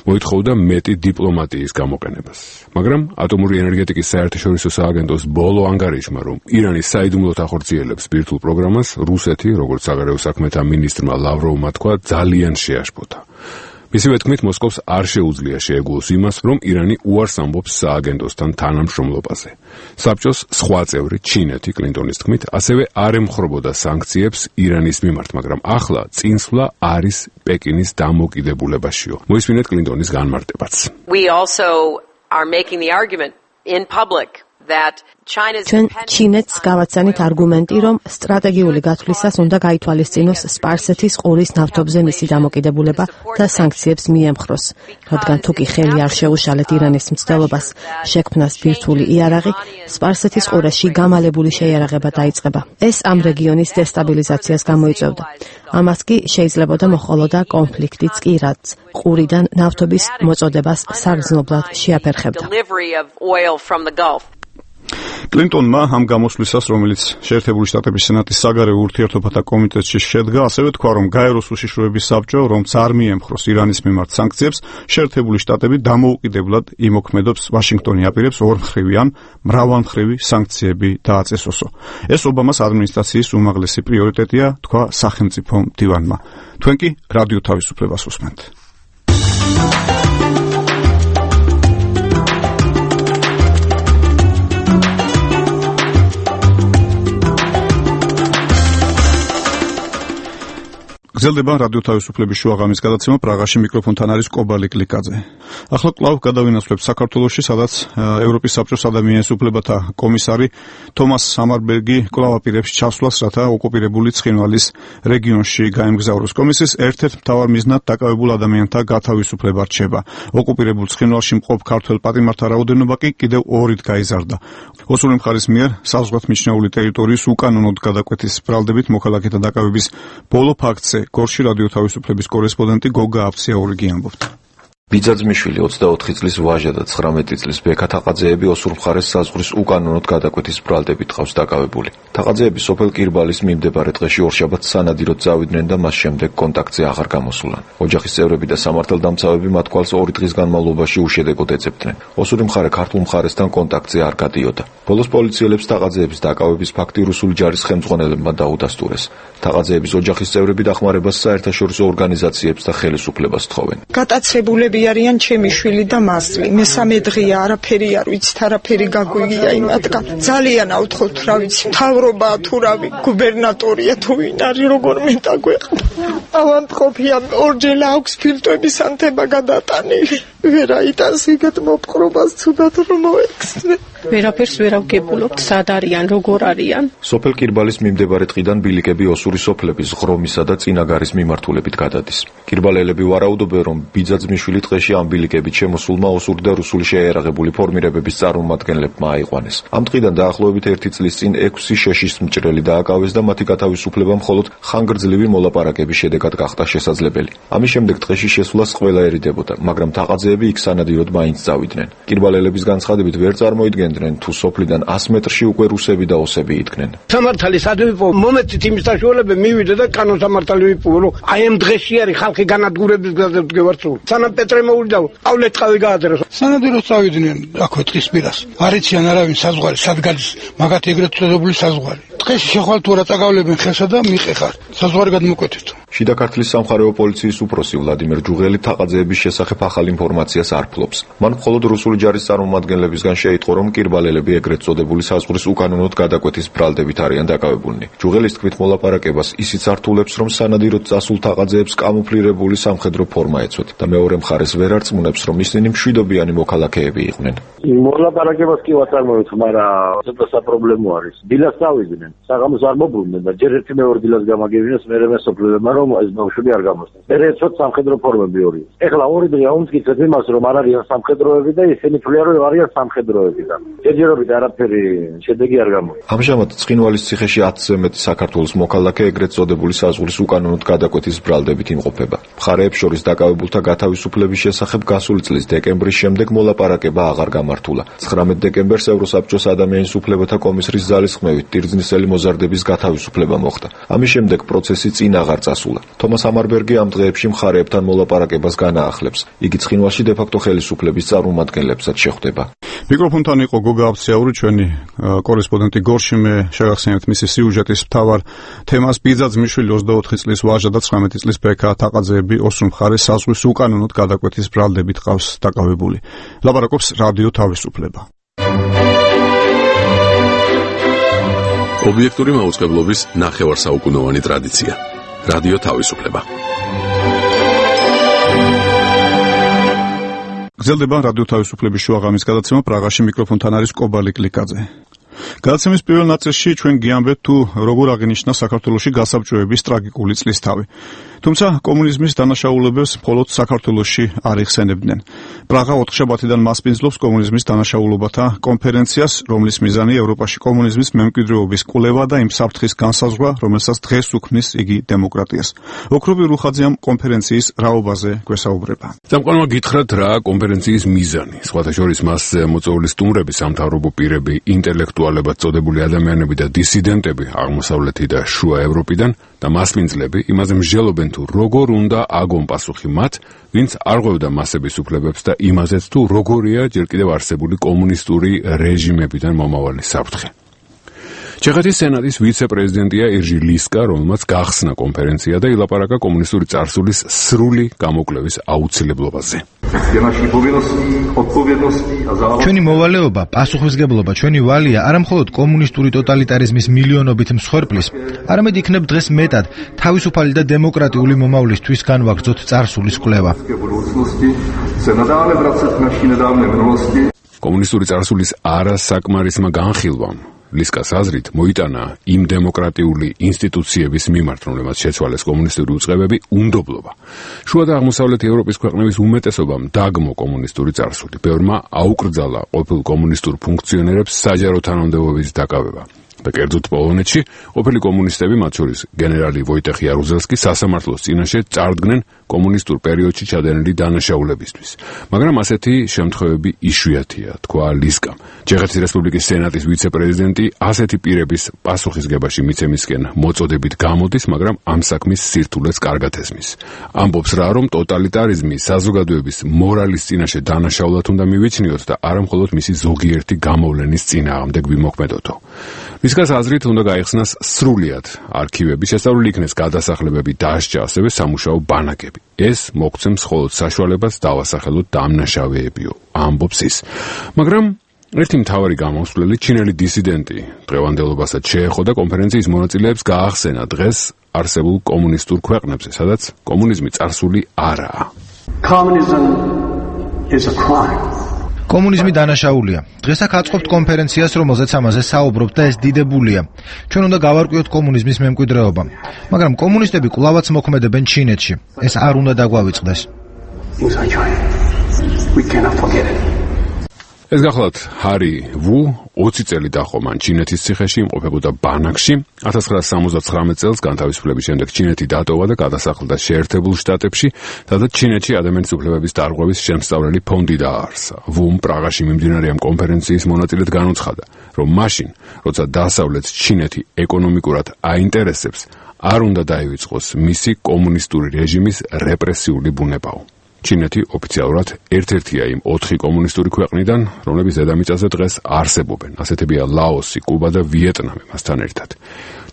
Speaker 20: მოითხოვდა მეტი დიპლომატიის გამოყენებას. მაგრამ ატომური ენერგეტიკის საერთაშორისო სააგენტოს ბოლო ანგარიშმა, რომ ირანი საიდუმლოდ ახორციელებს ბირთვულ პროგრამას, რუსეთი, როგორც საგარეო საქმეთა მინისტრმა ლავროვმა თქვა, ძალიან შეაშფოთა. მისივე თქმით, მოსკოვს არ შეუძლია შეეგუოს იმას, რომ ირანი უარს ამბობს სააგენტოსთან თანამშრომლობაზე. საბჭოს სხვა წევრი ჩინეთი, კლინტონის თქმით, ასევე არ ემხრობოდა სანქციებს ირანის მიმართ, მაგრამ ახლა წინსვლა არის პეკინის დამოკიდებულებაშიო. მოისმინეთ კლინტონის განმარტებაც.
Speaker 5: We also are making the argument in public that China's
Speaker 6: ჩვენ ჩინეთს გავაცანით არგუმენტი, რომ სტრატეგიული გათვლისას უნდა გაითვალისწინოს სპარსეთის ყურის ნავთობზე მისი დამოკიდებულება და სანქციებს მიემხროს, რადგან თუკი ხელი არ შეუშალეთ ირანის მცდელობას შექმნას ბირთვული იარაღი, სპარსეთის ყურეში გამალებული შეიარაღება დაიწყება. ეს ამ რეგიონის დესტაბილიზაციას გამოიწვევდა. ამას კი შეიძლებოდა მოჰყოლოდა კონფლიქტიც კი, რაც ყურიდან ნავთობის მოწოდებას საგრძნობლად შეაფერხებდა.
Speaker 1: კლინტონმა ამ გამოსვლისას, რომელიც შეერთებული შტატების სენატის საგარეო ურთიერთობათა კომიტეტში შედგა, ასევე თქვა, რომ გაეროს უშიშროების საბჭო, რომც არ მიემხროს ირანის მიმართ სანქციებს, შეერთებული შტატები დამოუკიდებლად იმოქმედებს ვაშინგტონი აპირებს ორმხრივი ან მრავალმხრივი სანქციები დააწესოსო. ეს ობამას ადმინისტრაციის უმაღლესი პრიორიტეტია, თქვა სახელმწიფო მდივანმა. თქვენ კი რადიო თავისუფლებას უსმენთ. გრძელდება რადიო თავისუფლების შუაღამის გადაცემა. პრაღაში მიკროფონთან არის კობალი კლიკაძე. ახლა კვლავ გადავინაცვლებ საქართველოში, სადაც ევროპის საბჭოს ადამიანის უფლებათა კომისარი თომას სამარბერგი კვლავ აპირებს ჩასვლას, რათა ოკუპირებული ცხინვალის რეგიონში გაემგზავროს. კომისიის ერთ-ერთ მთავარ მიზნად დაკავებულ ადამიანთა გათავისუფლება რჩება. ოკუპირებულ ცხინვალში მყოფ ქართველ პატიმართა რაოდენობა კი კიდევ ორით გაიზარდა. ოსური მხარის მიერ საზღვარგარეთ მიჩნეული ტერიტორიის უკანონოდ გადაკვეთის ბრალდებით მოქალაქეთა დაკავების ბოლო ფაქტზე გორში რადიო თავისუფლების კორესპონდენტი გოგა აფციაურიგი ამბობდა.
Speaker 21: ბიძაძმიშვილი ოცდაოთხი წლის ვაჟა და ცხრამეტი წლის ბექა თაყაძეები ოსურ მხარეს საზღვრის უკანონოდ გადაკვეთის ბრალდებით ყავს დაკავებული. თაყაძეები სოფელ კირბალის მიმდებარე დღეში ორშაბათს სანადიროდ წავიდნენ და მას შემდეგ კონტაქტზე აღარ გამოსულან. ოჯახის წევრები და სამართალდამცავები მათ კვალს ორი დღის განმავლობაში უშედეგოდ ეძებდნენ. ოსური მხარე ქართულ მხარესთან კონტაქტზე არ გადიოდა. ბოლოს პოლიციელებს თაყაძეების დაკავების ფაქტი რუსული ჯარის ხელმძღვანელებმა დაუდასტურეს. თაყაძეების ოჯახის წევრები დახმარებას საერთაშორისო ორგანიზაციებს და ხელისუფლებას თხოვენ.
Speaker 22: გატაცებულები არიან ჩემი შვილი და მასლი. მესამე დღეა, არაფერი არ ვიცით, არაფერი გაგვიგია იმათგან. ძალიან ავთხოვთ, რა ვიცი, მთავრობაა თუ რავი, გუბერნატორია თუ ვინ არის, როგორ მეტაგვეყნა. ავანტყოფია, ორჯერ აქვს ფილტვების ანთება გადატანილი. ვერა იტანს იგეთ მოპყრობას ცუდად რომ მოექცნენ. ვერაფერს ვერ ავგებულობთ, სად არიან, როგორ არიან.
Speaker 21: სოფელ კირბალის მიმდებარე ტყიდან ბილიკები ოსური სოფლების ღრომისა და წინაგარის მიმართულებით გადადის. კირბალელები ვარაუდობენ, რომ ბიძაძმიშვილი დღეში ამ ბილიკებით შემოსულმა ოსური და რუსული შეიარაღებული ფორმირებების წარმომადგენლებმა აიყვანეს. ამ ტყიდან დაახლოებით ერთი წლის წინ ექვსი შეშის მჭრელი დააკავეს და მათი გათავისუფლება მხოლოდ ხანგრძლივი მოლაპარაკების შედეგად გახდა შესაძლებელი. ამის შემდეგ დღეში შესვლას ყველა ერიდებოდა, მაგრამ თაყაძეები იქ სანადიროდ მაინც წავიდნენ. კირბალელების განცხადებით ვერ წარმოიდგენდნენ, თუ სოფლიდან ასი მეტრში უკვე რუსები და ოსები იდგნენ.
Speaker 23: სამართალი სადვიპო მომეცით იმის საშუალება მივიდე და კანონ სამართალი ვიპოვო, რომ აი ამ დღეში არის ხალხი განადგურების გზაზე დგევარცული. სანამ პეტრე მოვიდა, პავლე წყავი გაადრესო.
Speaker 24: სანადიროდ წავიდნენ აქვე ტყის პირას. არიციან არავინ საზღვარი, სად გადის მაგათი ეგრეთ წოდებული საზღვარი. დღეში შეხვალ თუ რა წაგავლებენ ხელსა და მიყეხარ. საზღვარი გადმოკვეთეთ.
Speaker 21: შიდა ქართლის სამხარეო პოლიციის უფროსი ვლადიმერ ჯუღელი თაყაძეების შესახებ ახალ ინფორმაციას არ ფლობს. მან მხოლოდ რუსული ჯარის წარმომადგენლებისგან შეიტყო, რომ კირბალელები ეგრეთ წოდებული საზღვრის უკანონოდ გადაკვეთის ბრალდებით არიან დაკავებულნი. ჯუღელის თქმით, მოლაპარაკებას ისიც ართულებს, რომ სანადიროდ წასულ თაყაძეებს კამუფლირებული სამხედრო ფორმა ეცვათ და მეორე მხარეს ვერ არწმუნებს, რომ ისინი მშვიდობიანი მოქალაქეები იყვნენ.
Speaker 25: მოლაპარაკებას კი ვაწარმოებთ, მაგრამ ცოტა საპრობლემო არის. დილას წავიდნენ, საღამოს არ მოbrunდნენ და ჯერ ერთი მეორე დილას გამაგებინეს, მერე მესოფლებმა რომ ეს ბავშვები არ გამოსცეს. მერე ეცვათ სამხედრო ფორმები ორი. ეხლა ორი დღე აუმტკიცეთ იმას, რომ არ არიან სამხედროები და ისინი თვლიან, რომ არიან სამხედროები და ჯერჯერობით არაფერი შედეგი არ გამოდის.
Speaker 21: ამჟამად ცხინვალის ციხეში ათზე მეტი საქართველოს მოქალაქე ეგრეთ წოდებული საზღვრის უკანონოდ გადაკვეთის ბრალდებით იმყოფება. მხარეებს შორის დაკავებულთა გათავისუფლების შესახებ გასული წლის დეკემბრის შემდეგ მოლაპარაკება აღარ გამართულა. ცხრამეტ დეკემბერს ევროსაბჭოს ადამიანის უფლებათა კომისრის ძალისხმევით ტირზნისელი მოზარდების გათავისუფლება მოხდა. ამის შემდეგ პროცესი წინ აღარ წასულა. დასრულდა. თომას ამარბერგი ამ დღეებში მხარეებთან მოლაპარაკებას განაახლებს. იგი ცხინვალში დე-ფაქტო ხელისუფლების წარმომადგენლებსაც შეხვდება.
Speaker 1: მიკროფონთან იყო გოგა აბციაური, ჩვენი კორესპონდენტი გორშიმე შეგახსენებთ მისი სიუჟეტის მთავარ თემას. ბიძაძმიშვილი ოცდაოთხი წლის ვაჟა და ცხრამეტი წლის ბექა თაყაძეები ოსურ მხარეს საზღვის უკანონოდ გადაკვეთის ბრალდებით ყავს დაკავებული. ლაპარაკობს რადიო თავისუფლება.
Speaker 20: ობიექტური მაუწყებლობის ნახევარსაუკუნოვანი ტრადიცია. რადიო თავისუფლება.
Speaker 1: გრძელდება რადიო თავისუფლების შუაღამის გადაცემა. პრაღაში მიკროფონთან არის კობალი კლიკაძე. გადაცემის პირველ ნაწილში ჩვენ გიამბეთ თუ როგორ აღინიშნა საქართველოში გასაბჭოების ტრაგიკული წლისთავი. თუმცა კომუნიზმის დანაშაულებებს მხოლოდ საქართველოში არ იხსენებდნენ. პრაღა ოთხშაბათიდან მასპინძლობს კომუნიზმის დანაშაულობათა კონფერენციას, რომლის მიზანი ევროპაში კომუნიზმის მემკვიდრეობის კვლევა და იმ საფრთხის განსაზღვრა, რომელსაც დღეს უქმნის იგი დემოკრატიას. ოქრობი რუხაძე ამ კონფერენციის რაობაზე გვესაუბრება.
Speaker 20: წამყვანმა გითხრათ რა კონფერენციის მიზანი. სხვათა შორის მასზე მოწვეული სტუმრები, სამთავრობო პირები, ინტელექტუალებად წოდებული ადამიანები და დისიდენტები აღმოსავლეთი და შუა ევროპიდან და მასპინძლები იმაზე მსჯელობენ თუ როგორ უნდა აგონ პასუხი მათ, ვინც არ ღვევდა მასების უფლებებს და იმაზეც თუ როგორია ჯერ კიდევ არსებული კომუნისტური რეჟიმებიდან მომავალი საფრთხე. ჩეხეთის სენატის ვიცე-პრეზიდენტია ირჟი ლისკა, რომელმაც გახსნა კონფერენცია და ილაპარაკა კომუნისტური წარსულის სრული გამოკვლევის აუცილებლობაზე.
Speaker 2: ჩვენი მოვალეობა, პასუხისმგებლობა, ჩვენი ვალია არამხოლოდ კომუნისტური ტოტალიტარიზმის მილიონობით მსხვერპლის, არამედ იქნებ დღეს მეტად თავისუფალი და დემოკრატიული მომავლისთვის განვაგრძოთ წარსულის კვლევა.
Speaker 20: კომუნისტური წარსულის არასაკმარისმა განხილვამ ლისკას აზრით მოიტანა იმ დემოკრატიული ინსტიტუციების მიმართ, რომლებმაც შეცვალეს კომუნისტური უწყებები, უნდობლობა. შუა და აღმოსავლეთი ევროპის ქვეყნების უმეტესობამ დაგმო კომუნისტური წარსული. ბევრმა აუკრძალა ყოფილ კომუნისტურ ფუნქციონერებს საჯარო თანამდებობის დაკავება. და კერძოდ პოლონეთში ყოფილი კომუნისტები, მათ შორის გენერალი ვოიტეხ იარუზელსკი, სასამართლოს წინაშე წარდგნენ კომუნისტურ პერიოდში ჩადენილი დანაშაულებისთვის. მაგრამ ასეთი შემთხვევები იშვიათია, თქვა ლისკამ. ჩეხეთის რესპუბლიკის სენატის ვიცე-პრეზიდენტი ასეთი პირების პასუხისგებაში მიცემისკენ მოწოდებით გამოდის, მაგრამ ამ საქმის სირთულეს კარგად ესმის. ამბობს რა, რომ ტოტალიტარიზმი საზოგადოების მორალის წინაშე დანაშაულად უნდა მივიჩნიოთ და არა მხოლოდ მისი ზოგიერთი გამოვლენის წინააღმდეგ ვიმოქმედოთო. ლისკას აზრით უნდა გაიხსნას სრულიად არქივები, შესწავლილი იქნეს გადასახლებები, დასჯა, ასევე სამუშაო ბანაკები. ეს მოგცემს მხოლოდ საშუალებას დავასახელოთ დამნაშავეებიო, ამბობს ის. მაგრამ ერთი მთავარი გამოსვლელი ჩინელი დისიდენტი დღევანდელობასაც შეეხო და კონფერენციის მონაწილეებს გაახსენა დღეს არსებულ კომუნისტურ ქვეყნებზე, სადაც კომუნიზმი წარსული არაა.
Speaker 2: Communism is a crime. კომუნიზმი დანაშაულია. დღეს აქ აწყობთ კონფერენციას, რომელზეც ამაზე საუბრობთ და ეს დიდებულია. ჩვენ უნდა გავარკვიოთ კომუნიზმის მემკვიდრეობა. მაგრამ კომუნისტები კვლავაც მოქმედებენ ჩინეთში. ეს არ უნდა დაგვავიწყდეს.
Speaker 20: ეს გახლავთ ჰარი ვუ, ოცი წელი დაჰყო მან ჩინეთის ციხეში, იმყოფებოდა ბანაკში. ათას ცხრაასი სამოცდათხრამეტ წელს განთავისუფლების შემდეგ ჩინეთი დატოვა და გადასახლდა შეერთებულ შტატებში, სადაც ჩინეთში ადამიანის უფლებების დარღვევის შემსწავლელი ფონდი დააარსა. ვუმ პრაღაში მიმდინარე ამ კონფერენციის მონაწილედ განუცხადა, რომ მაშინ, როცა დასავლეთ ჩინეთი ეკონომიკურად აინტერესებს, არ უნდა დაივიწყოს მისი კომუნისტური რეჟიმის რეპრესიული ბუნებაო. ჩინეთი ოფიციალურად ერთ-ერთია იმ ოთხი კომუნისტური ქვეყნიდან, რომლების დედამიწაზე დღეს არსებობენ. ასეთებია ლაოსი, კუბა და ვიეტნამი მასთან ერთად.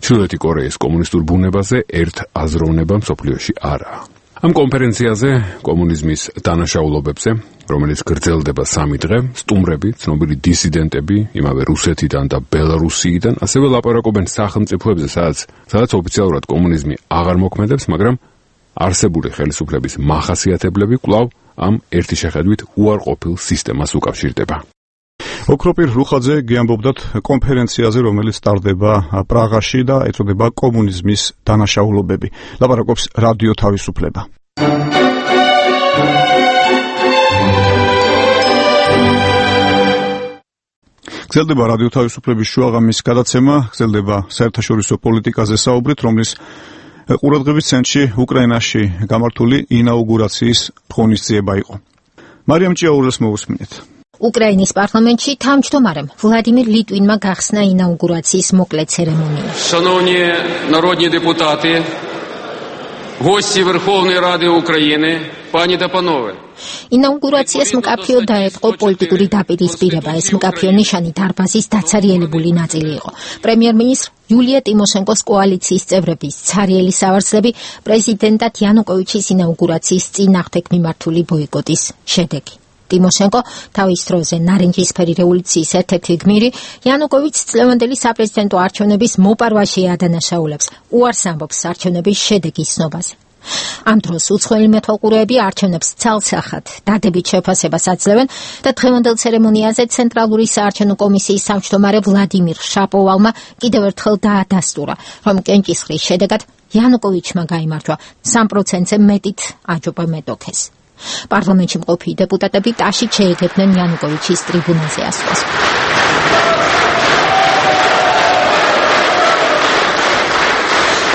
Speaker 20: ჩრდილოეთი კორეის კომუნისტურ ბუნებაზე ერთ აზროვნება მსოფლიოში არაა. ამ კონფერენციაზე კომუნიზმის დანაშაულობებზე, რომელიც გრძელდება სამი დღე, სტუმრები, ცნობილი დისიდენტები, იმავე რუსეთიდან და ბელარუსიიდან, ასევე ლაპარაკობენ სახელმწიფოებზე, სადაც სადაც ოფიციალურად კომუნიზმი აღარ მოქმედებს, მაგრამ არსებული ხელისუფლების მახასიათებლები კვლავ ამ ერთი შეხედვით უარყოფილ სისტემას უკავშირდება.
Speaker 1: ოქროპირ რუხაძე გიამბობდათ კონფერენციაზე, რომელიც ტარდება პრაღაში და ეწოდება კომუნიზმის დანაშაულობები. ლაპარაკობს რადიო თავისუფლება. გრძელდება რადიო თავისუფლების შუაღამის გადაცემა, გრძელდება საერთაშორისო პოლიტიკაზე საუბრით, რომლის ყურადღების ცენტრში უკრაინაში გამართული ინაუგურაციის ღონისძიება იყო. მარიამ ჭიაურელს მოусმინეთ.
Speaker 4: უკრაინის პარლამენტში თავმჯდომარემ ვლადიმირ ლიტვინმა გახსნა ინაუგურაციის მოკლე ცერემონია.
Speaker 3: Шановні народні депутати,
Speaker 7: гости Верховной Рады Украины, пани და панове.
Speaker 4: ინაუგურაციას მკაფიო დაეწყო პოლიტიკური დაპირისპირება. ეს მკაფიო ნიშანი დარბაზის დაცარიელებული ნაწილი იყო. პრემიერ-მინისტრ იულია ტიმოშენკოს კოალიციის წევრების ცარიელი სავარცხლები პრეზიდენტად იანუკოვიჩის ინაუგურაციის წინააღმდეგ მიმართული ბოიკოტის შედეგი. ტიმოშენკო თავის დროზე ნარინჯისფერი რევოლუციის ერთ-ერთი გმირი იანუკოვიჩს წლევანდელი საპრეზიდენტო არჩევნების მოპარვაში ადანაშაულებს, უარს ამბობს არჩევნების შედეგის ცნობაზე. ამ დროს უცხოელი მეთვალყურეები არჩევნებს ცალსახად დადებით შეფასებას აძლევენ და დღევანდელ ცერემონიაზე ცენტრალური საარჩევნო კომისიის თავმჯდომარე ვლადიმირ შაპოვალმა კიდევ ერთხელ დაადასტურა, რომ კენჭისყრის შედეგად იანუკოვიჩმა გაიმარჯვა სამ პროცენტზე მეტით აჯობა მეტოქეს. პარლამენტში მყოფი დეპუტატები ტაშით შეეგებდნენ იანუკოვიჩის ტრიბუნაზე ასვლას.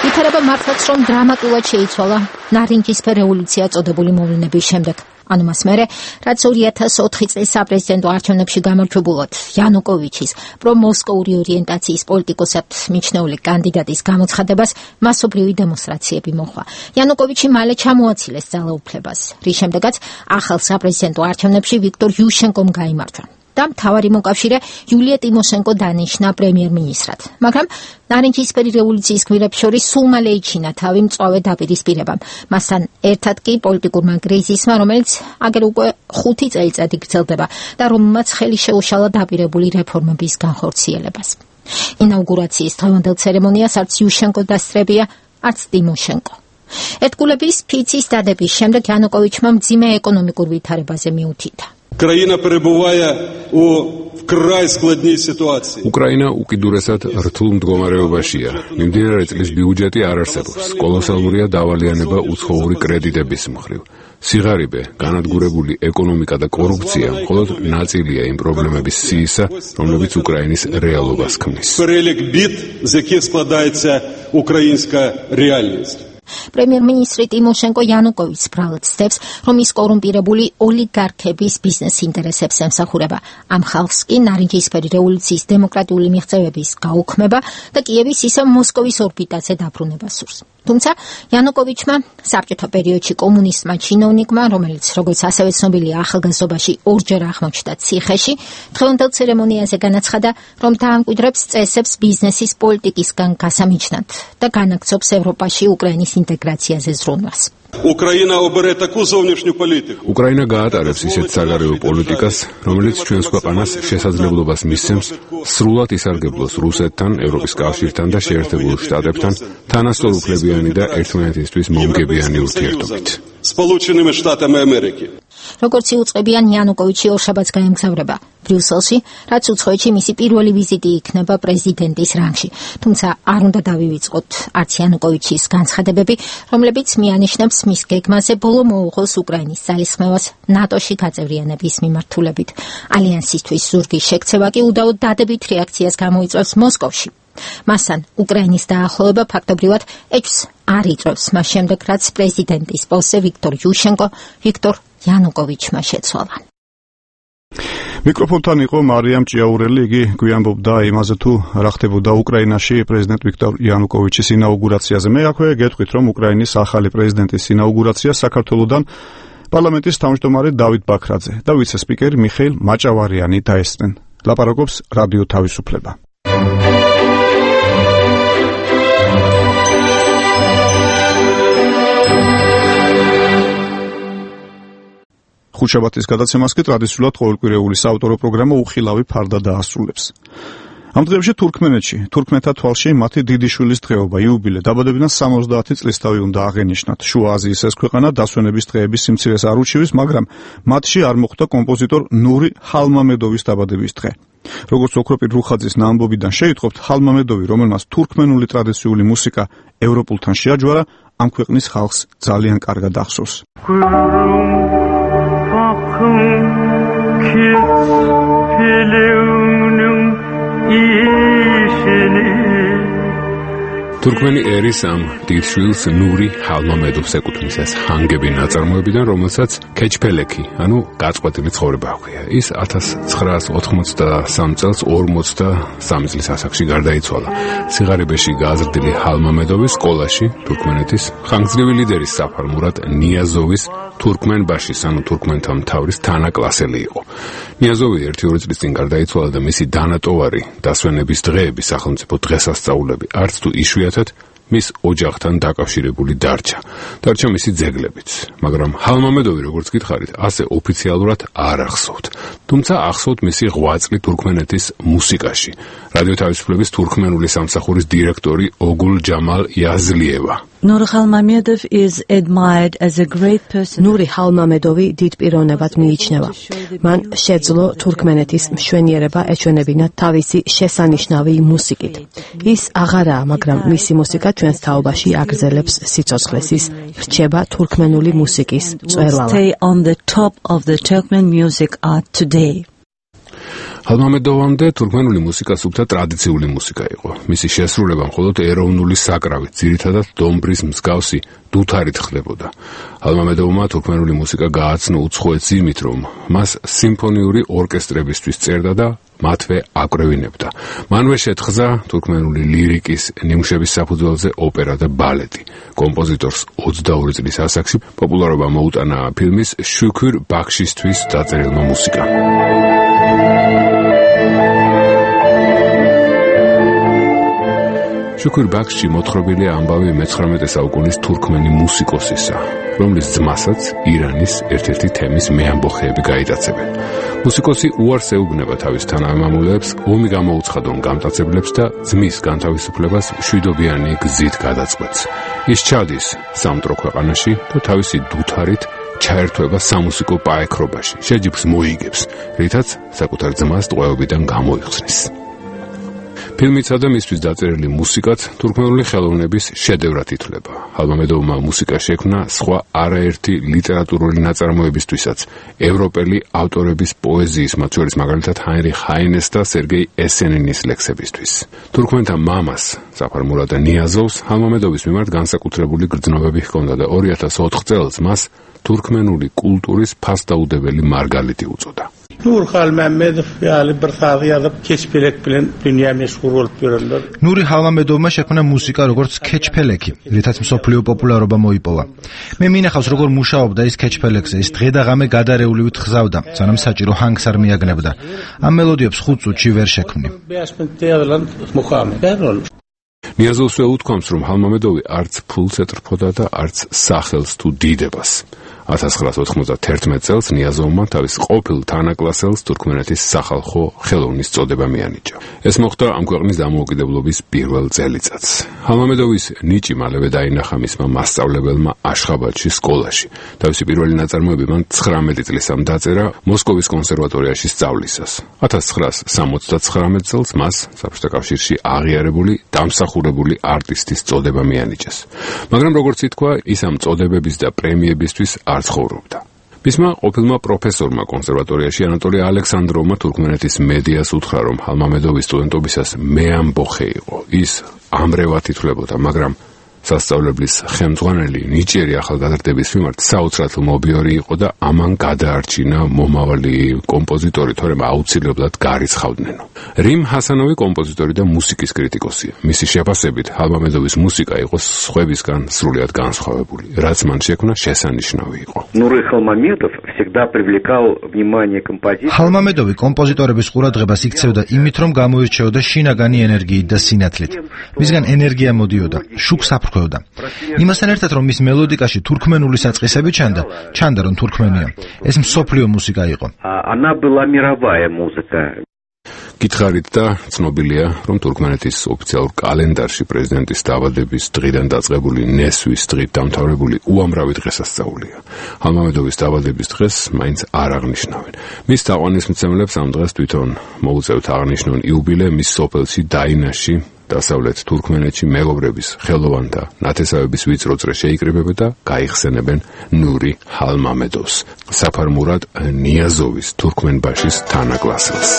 Speaker 4: ვითარება მართლაც რომ დრამატულად შეიცვალა ნარინჯისფერ რევოლუცია წოდებული მოვლენების შემდეგ. ანუ მას მერე, რაც ორი ათას ოთხი წლის საპრეზიდენტო არჩევნებში გამარჯვებულად იანუკოვიჩის პრომოსკოვური ორიენტაციის პოლიტიკოსად მიჩნეული კანდიდატის გამოცხადებას მასობრივი დემონსტრაციები მოჰყვა. იანუკოვიჩი მალე ჩამოაცილეს ძალაუფლებას, რის შემდეგაც ახალ საპრეზიდენტო არჩევნებში ვიქტორ იუშენკომ გაიმარჯვა. და მთავარი მოკავშირე იულია ტიმოშენკო დანიშნა პრემიერ-მინისტრად. მაგრამ ნარინჯისფერი რევოლუციის გმირებს შორის სულ მალე იჩინა თავი მწვავე დაპირისპირებამ. მასთან ერთად კი პოლიტიკურმა კრიზისმა, რომელიც აგერ უკვე ხუთი წელიწადი გრძელდება და რომელმაც ხელი შეუშალა დაპირებული რეფორმების განხორციელებას. ინაუგურაციის დღევანდელ ცერემონიას არც იუშენკო დასწრებია, არც ტიმოშენკო. ერთგულების ფიცის დადების შემდეგ იანუკოვიჩმა მძიმე ეკონომიკურ ვითარებაზე მიუთითა.
Speaker 9: Країна перебуває у вкрай складній ситуації.
Speaker 20: Україна უკიდურესად რთულ მდგომარეობაშია. მიმდინარე წლის ბიუჯეტი არ არსებობს. კოლოსალურია დავალიანება უცხოური კრედიტების მხრივ. სიღარიბე, განადგურებული ეკონომიკა და კორუფცია მხოლოდ ნაწილია იმ პრობლემების სიისა, რომლებიც უკრაინის რეალობას ქმნის.
Speaker 9: Перелік бід, з яких складається українська реальність.
Speaker 4: პრემიერ-მინისტრი ტიმოშენკო იანუკოვიჩს ბრალად ცდებს, რომ ის კორუმპირებული ოლიგარქების ბიზნეს ინტერესებს ემსახურება. ამ ხალხს კი ნარინჯისფერი რევოლუციის დემოკრატიული მიღწევების გაუქმება და კიევის ისევ მოსკოვის ორბიტაზე დაბრუნება სურს. თუმცა იანუკოვიჩმა საბჭოთა პერიოდში კომუნისტმა ჩინოვნიკმა, რომელიც როგორც ასევე ცნობილია ახალგაზრდობაში ორჯერ აღმოჩნდა ციხეში, დღევანდელ ცერემონიაზე განაცხადა, რომ დაამკვიდრებს წესებს ბიზნესის პოლიტიკისგან გასამიჯნად და განაგრძობს ევროპაში უკრაინის ინტეგრაციაზე ზრუნვას.
Speaker 9: Україна обере таку зовнішню політику.
Speaker 20: უკრაინა გაატარებს ისეთ საგარეო პოლიტიკას, რომელიც ჩვენს ქვეყანას შესაძლებლობას მისცემს სრულად ისარგებლოს რუსეთთან, ევროპის კავშირთან და შეერთებულ შტატებთან თანასწორუფლებიანი და ერთმანეთისთვის მომგებიანი ურთიერთობით.
Speaker 9: Сполученими Штатами Америки.
Speaker 4: როგორც იუწყებიან იანუკოვიჩი ორშაბათს გაემგზავრება ბრიუსელში, რაც უცხოეთში მისი პირველი ვიზიტი იქნება პრეზიდენტის რანგში. თუმცა არ უნდა დავივიწყოთ არც იანუკოვიჩის განცხადებები, რომლებიც მიანიშნებს მის გეგმაზე ბოლო მოუღოს უკრაინის ძალისხმევას ნატოში გაწევრიანების მიმართულებით. ალიანსისთვის ზურგის შექცევა კი უდავოდ დადებით რეაქციას გამოიწვევს მოსკოვში. მასთან უკრაინის დაახლოება ფაქტობრივად ეჭვს არ იწვევს მას შემდეგ, რაც პრეზიდენტის პოსტზე ვიქტორ იუშენკო ვიქტორ იანუკოვიჩმა შეცვალა.
Speaker 1: მიკროფონთან იყო მარიამ ჭიაურელი, იგი გვიანბობდა იმაზე თუ რა ხდებოდა უკრაინაში პრეზიდენტ ვიქტორ იანუკოვიჩის ინაუგურაციაზე. მე აქვე გეტყვით, რომ უკრაინის ახალი პრეზიდენტის ინაუგურაცია საქართველოსთან პარლამენტის თავმჯდომარე დავით ბაქრაძე და ვიცე-სპიკერი მიხეილ მაჭავარიანი დაესწრნენ. ლაპარაკობს რადიო თავისუფლება. ხუთშაბათის გადაცემას კი ტრადიციულად ყოველკვირეული საავტორო პროგრამა უხილავი ფარდა დაასრულებს. ამ დღეებში თურქმენეთში, თურქმენთა თვალში მათი დიდი შვილის დღეობა, იუბილე, დაბადებიდან სამოცდაათი წლისთავი უნდა აღენიშნათ. შუა აზიის ეს ქვეყანა დასვენების დღეების სიმცირეს არ უჩივის, მაგრამ მათში არ მოხვდა კომპოზიტორ ნური ჰალმამედოვის დაბადების დღე. როგორც ოქროპირ რუხაძის ნაამბობიდან შეიტყობთ, ჰალმამედოვი, რომელმაც თურქმენული ტრადიციული მუსიკა ევროპულთან შეაჯვარა, ამ ქვეყნის ხალხს ძალიან კარგად ახსოვს.
Speaker 20: თურქმენი ერის ამ დიდშვილს ნური ჰალმამედოვს ეკუთვნის ეს ჰანგები ნაწარმოებიდან, რომელსაც ქეჩფელექი, ანუ გაწყვეტილი ცხოვრება ჰქვია. ის ათას ცხრაას ოთხმოცდასამ წელს ორმოცდასამი წლის ასაკში გარდაიცვალა. სიღარიბეში გააზრდილი ჰალმამედოვი სკოლაში თურქმენეთის ხანგრძლივი ლიდერის საფარ მურატ ნიაზოვის თურქმენბაშის, ანუ თურქმენთა მთავრის თანაკლასელი იყო. ნიაზოვი ერთი-ორი წლის წინ გარდაიცვალა და მისი დანატოვარი დასვენების დღეები, სახელმწიფო დღესასწაულები, არც თუ იშვიათად მის ოჯახთან დაკავშირებული დარჩა. დარჩა მისი ძეგლებიც, მაგრამ ჰალმამედოვი, როგორც გითხარით, ასე ოფიციალურად არ ახსოვთ. თუმცა ახსოვთ მისი ღვაწლი თურქმენეთის მუსიკაში. რადიო თავისუფლების თურქმენული სამსახურის დირექტორი ოგულ ჯამალ იაზლიევა.
Speaker 6: Nur Khalmamedov is admired as a great person. Nuri Khalmamedov-ი დიდ პიროვნებად მიიჩნევა. მან შეძლო თურქმენეთის მშვენიერება ეჩვენებინა თავისი შესანიშნავი მუსიკით. ის აღარაა, მაგრამ მისი მუსიკა ჩვენს თაობაში აგრძელებს სიცოცხლეს. ის რჩება თურქმენული მუსიკის მწვერვალად. Stay on the top of the Turkmen music art today.
Speaker 20: ჰალმამედოვამდე თურქმენული მუსიკა სუფთა ტრადიციული მუსიკა იყო. მისი შესრულება მხოლოდ ეროვნული საკრავით, ძირითადად დომბრის მსგავსი დუთარით ხდებოდა. ჰალმამედოვმა თურქმენული მუსიკა გააცნო უცხოეთს იმით, რომ მას სიმფონიური ორკესტრებისთვის წერდა და მათვე აკრევინებდა. მანვე შეთხზა თურქმენული ლირიკის ნიმუშების საფუძველზე ოპერა და ბალეტი. კომპოზიტორს ოცდაორი წლის ასაკში პოპულარობა მოუტანა ფილმის შუქურ ბაქშისთვის დაწერილმა მუსიკამ. შუქურ ბაქში მოთხრობილია ამბავი მეცხრამეტე საუკუნის თურქმენი მუსიკოსისა, რომლის ძმასაც ირანის ერთ-ერთი თემის მეამბოხეები გაიტაცებენ. მუსიკოსი უარს ეუბნება თავის თანამემამულეებს, ომი გამოუცხადონ გამტაცებლებს და ძმის განთავისუფლებას მშვიდობიანი გზით გადაწყვეტს. ის ჩადის სამტრო ქვეყანაში და თავისი დუთარით ჩაერთვება სამუსიკო პაექრობაში, შეჯიბრს მოიგებს, რითაც საკუთარ ძმას ტყვეობიდან გამოიხსნის. ფილმიცა და მისთვის დაწერილი მუსიკაც თურქმენული ხელოვნების შედევრად ითვლება. ჰალმამედოვმა მუსიკა შექმნა სხვა არაერთი ლიტერატურული ნაწარმოებისთვისაც, ევროპელი ავტორების პოეზიის, მათ შორის მაგალითად ჰაინრიხ ჰაინეს და სერგეი ესენინის ლექსებისთვის. თურქმენთა მამას, საფარ მურატ ნიაზოვს, ჰალმამედოვის მიმართ განსაკუთრებული გრძნობები ჰქონდა და ორი ათას ოთხ წელს მას თურქმენული კულტურის ფასდაუდებელი მარგალიტი უწოდა.
Speaker 24: Nur Khalmamedov yani bir sağıyada keçpelek bilen dünya meşhur olup görürler.
Speaker 2: Nuri Khalmamedovმა შექმნა მუსიკა როგორც ქეჩფელექი, რითაც მსოფლიო პოპულარობა მოიპოვა. მე მინახავს როგორ მუშაობდა ის ქეჩფელექზე, ის დღე და ღამე გადარეულივით ხზავდა, სანამ საჭირო ჰანგს არ მიაგნებდა. ამ მელოდიებს ხუთ წუთში ვერ შექმნი.
Speaker 20: ნიაზოვსვე უთქვამს, რომ ჰალმამედოვი არც ფულს ეტრფოდა და არც სახელს თუ დიდებას. ათას ცხრაას ოთხმოცდათერთმეტ წელს ნიაზოვმა თავის ყოფილ თანაკლასელს თურქმენეთის სახალხო ხელოვნის წოდება მიანიჭა. ეს მოხდა ამ ქვეყნის დამოუკიდებლობის პირველ წელიწადს. ჰალმამედოვის ნიჭი მალევე დაინახა მისმა მასწავლებელმა აშხაბადში სკოლაში. თავისი პირველი ნაწარმოები მან ცხრამეტი წლისამ დაწერა მოსკოვის კონსერვატორიაში სწავლისას. ათას ცხრაას სამოცდაცხრამეტ წელს მას საბჭოთა კავშირში აღიარებული დამსახურებული არტისტის წოდება მიანიჭეს. მაგრამ როგორც ითქვა, ის ამ წოდებების და პრემიებისთვის არ ცხოვრობდა. მისმა ყოფილმა პროფესორმა კონსერვატორიაში ანატოლი ალექსანდროვმა თურქმენეთის მედიას უთხრა, რომ ჰალმამედოვის სტუდენტობისას მეამბოხე იყო. ის ამრევად ითვლებოდა, მაგრამ სასწავლებლის ხელმძღვანელი ნიჭიერი ახალგაზრდების მიმართ საოცრად მობიორი იყო და ამან გადაარჩინა მომავალი კომპოზიტორი, თორემ აუცილებლად გარიცხავდნენო. რიმ ჰასანოვი კომპოზიტორი და მუსიკის კრიტიკოსია. მისი შეფასებით ჰალმამედოვის მუსიკა იყო სხვებისგან სრულიად განსხვავებული, რაც მან შექმნა შესანიშნავი იყო.
Speaker 8: Nuri Khalmamedov всегда привлекал внимание композиторов.
Speaker 2: ჰალმამედოვი კომპოზიტორების ყურადღებას იქცევდა იმით, რომ გამოირჩეოდა შინაგანი ენერგიით და სინათლით. მისგან ენერგია მოდიოდა, შუქს აფრქვევდა. იმასთან ერთად, რომ მის მელოდიკაში თურქმენული საწყისები ჩანდა, ჩანდა რომ თურქმენია. ეს მსოფლიო მუსიკა იყო.
Speaker 8: Она была мировая музыка.
Speaker 20: გითხარით და ცნობილია, რომ თურქმენეთის ოფიციალურ კალენდარში პრეზიდენტის დაბადების დღიდან დაწყებული ნესვის დღით დამთავრებული უამრავი დღესასწაულია. ჰალმამედოვის დაბადების დღეს მაინც არ აღნიშნავენ. მის თაყვანისმცემლებს ამ დღეს თვითონ მოუწევთ აღნიშნონ იუბილე მის სოფელში დაინაში, დასავლეთ თურქმენეთში მეგობრების ხელოვანთა ნათესავების ვიწრო წრე შეიკრიბებენ და გაიხსენებენ ნური ჰალმამედოვს, საფარ მურატ ნიაზოვის თურქმენბაშის თანაკლასელს.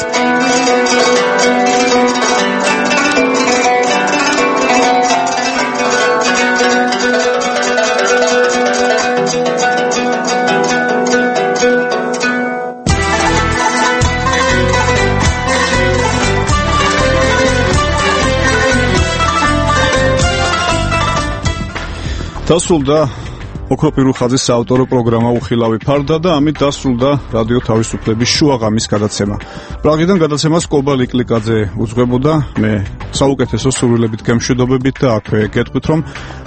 Speaker 1: დასრულდა ოქროპირუხაძის საავტორო პროგრამა უხილავი ფარდა და ამით დასრულდა რადიო თავისუფლების შუაღამის გადაცემა. პრაღიდან გადაცემას კობა ლიკლიკაძე უძღვებოდა, მე საუკეთესო სურვილებით გემშვიდობებით და აქვე გეტყვით, რომ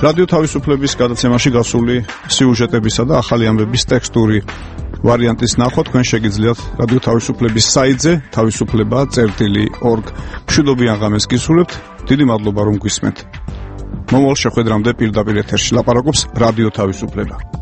Speaker 1: რადიო თავისუფლების გადაცემაში გასული სიუჟეტებისა და ახალი ამბების ტექსტური ვარიანტის ნახვა თქვენ შეგიძლიათ რადიო თავისუფლების საიტზე თავისუფლება წერტილი ორგ. მშვიდობიან ღამეს გისურვებთ. დიდი მადლობა რომ გვისმენთ. მომავალ შეხვედრამდე პირდაპირ ეთერში ლაპარაკობს რადიო თავისუფლება.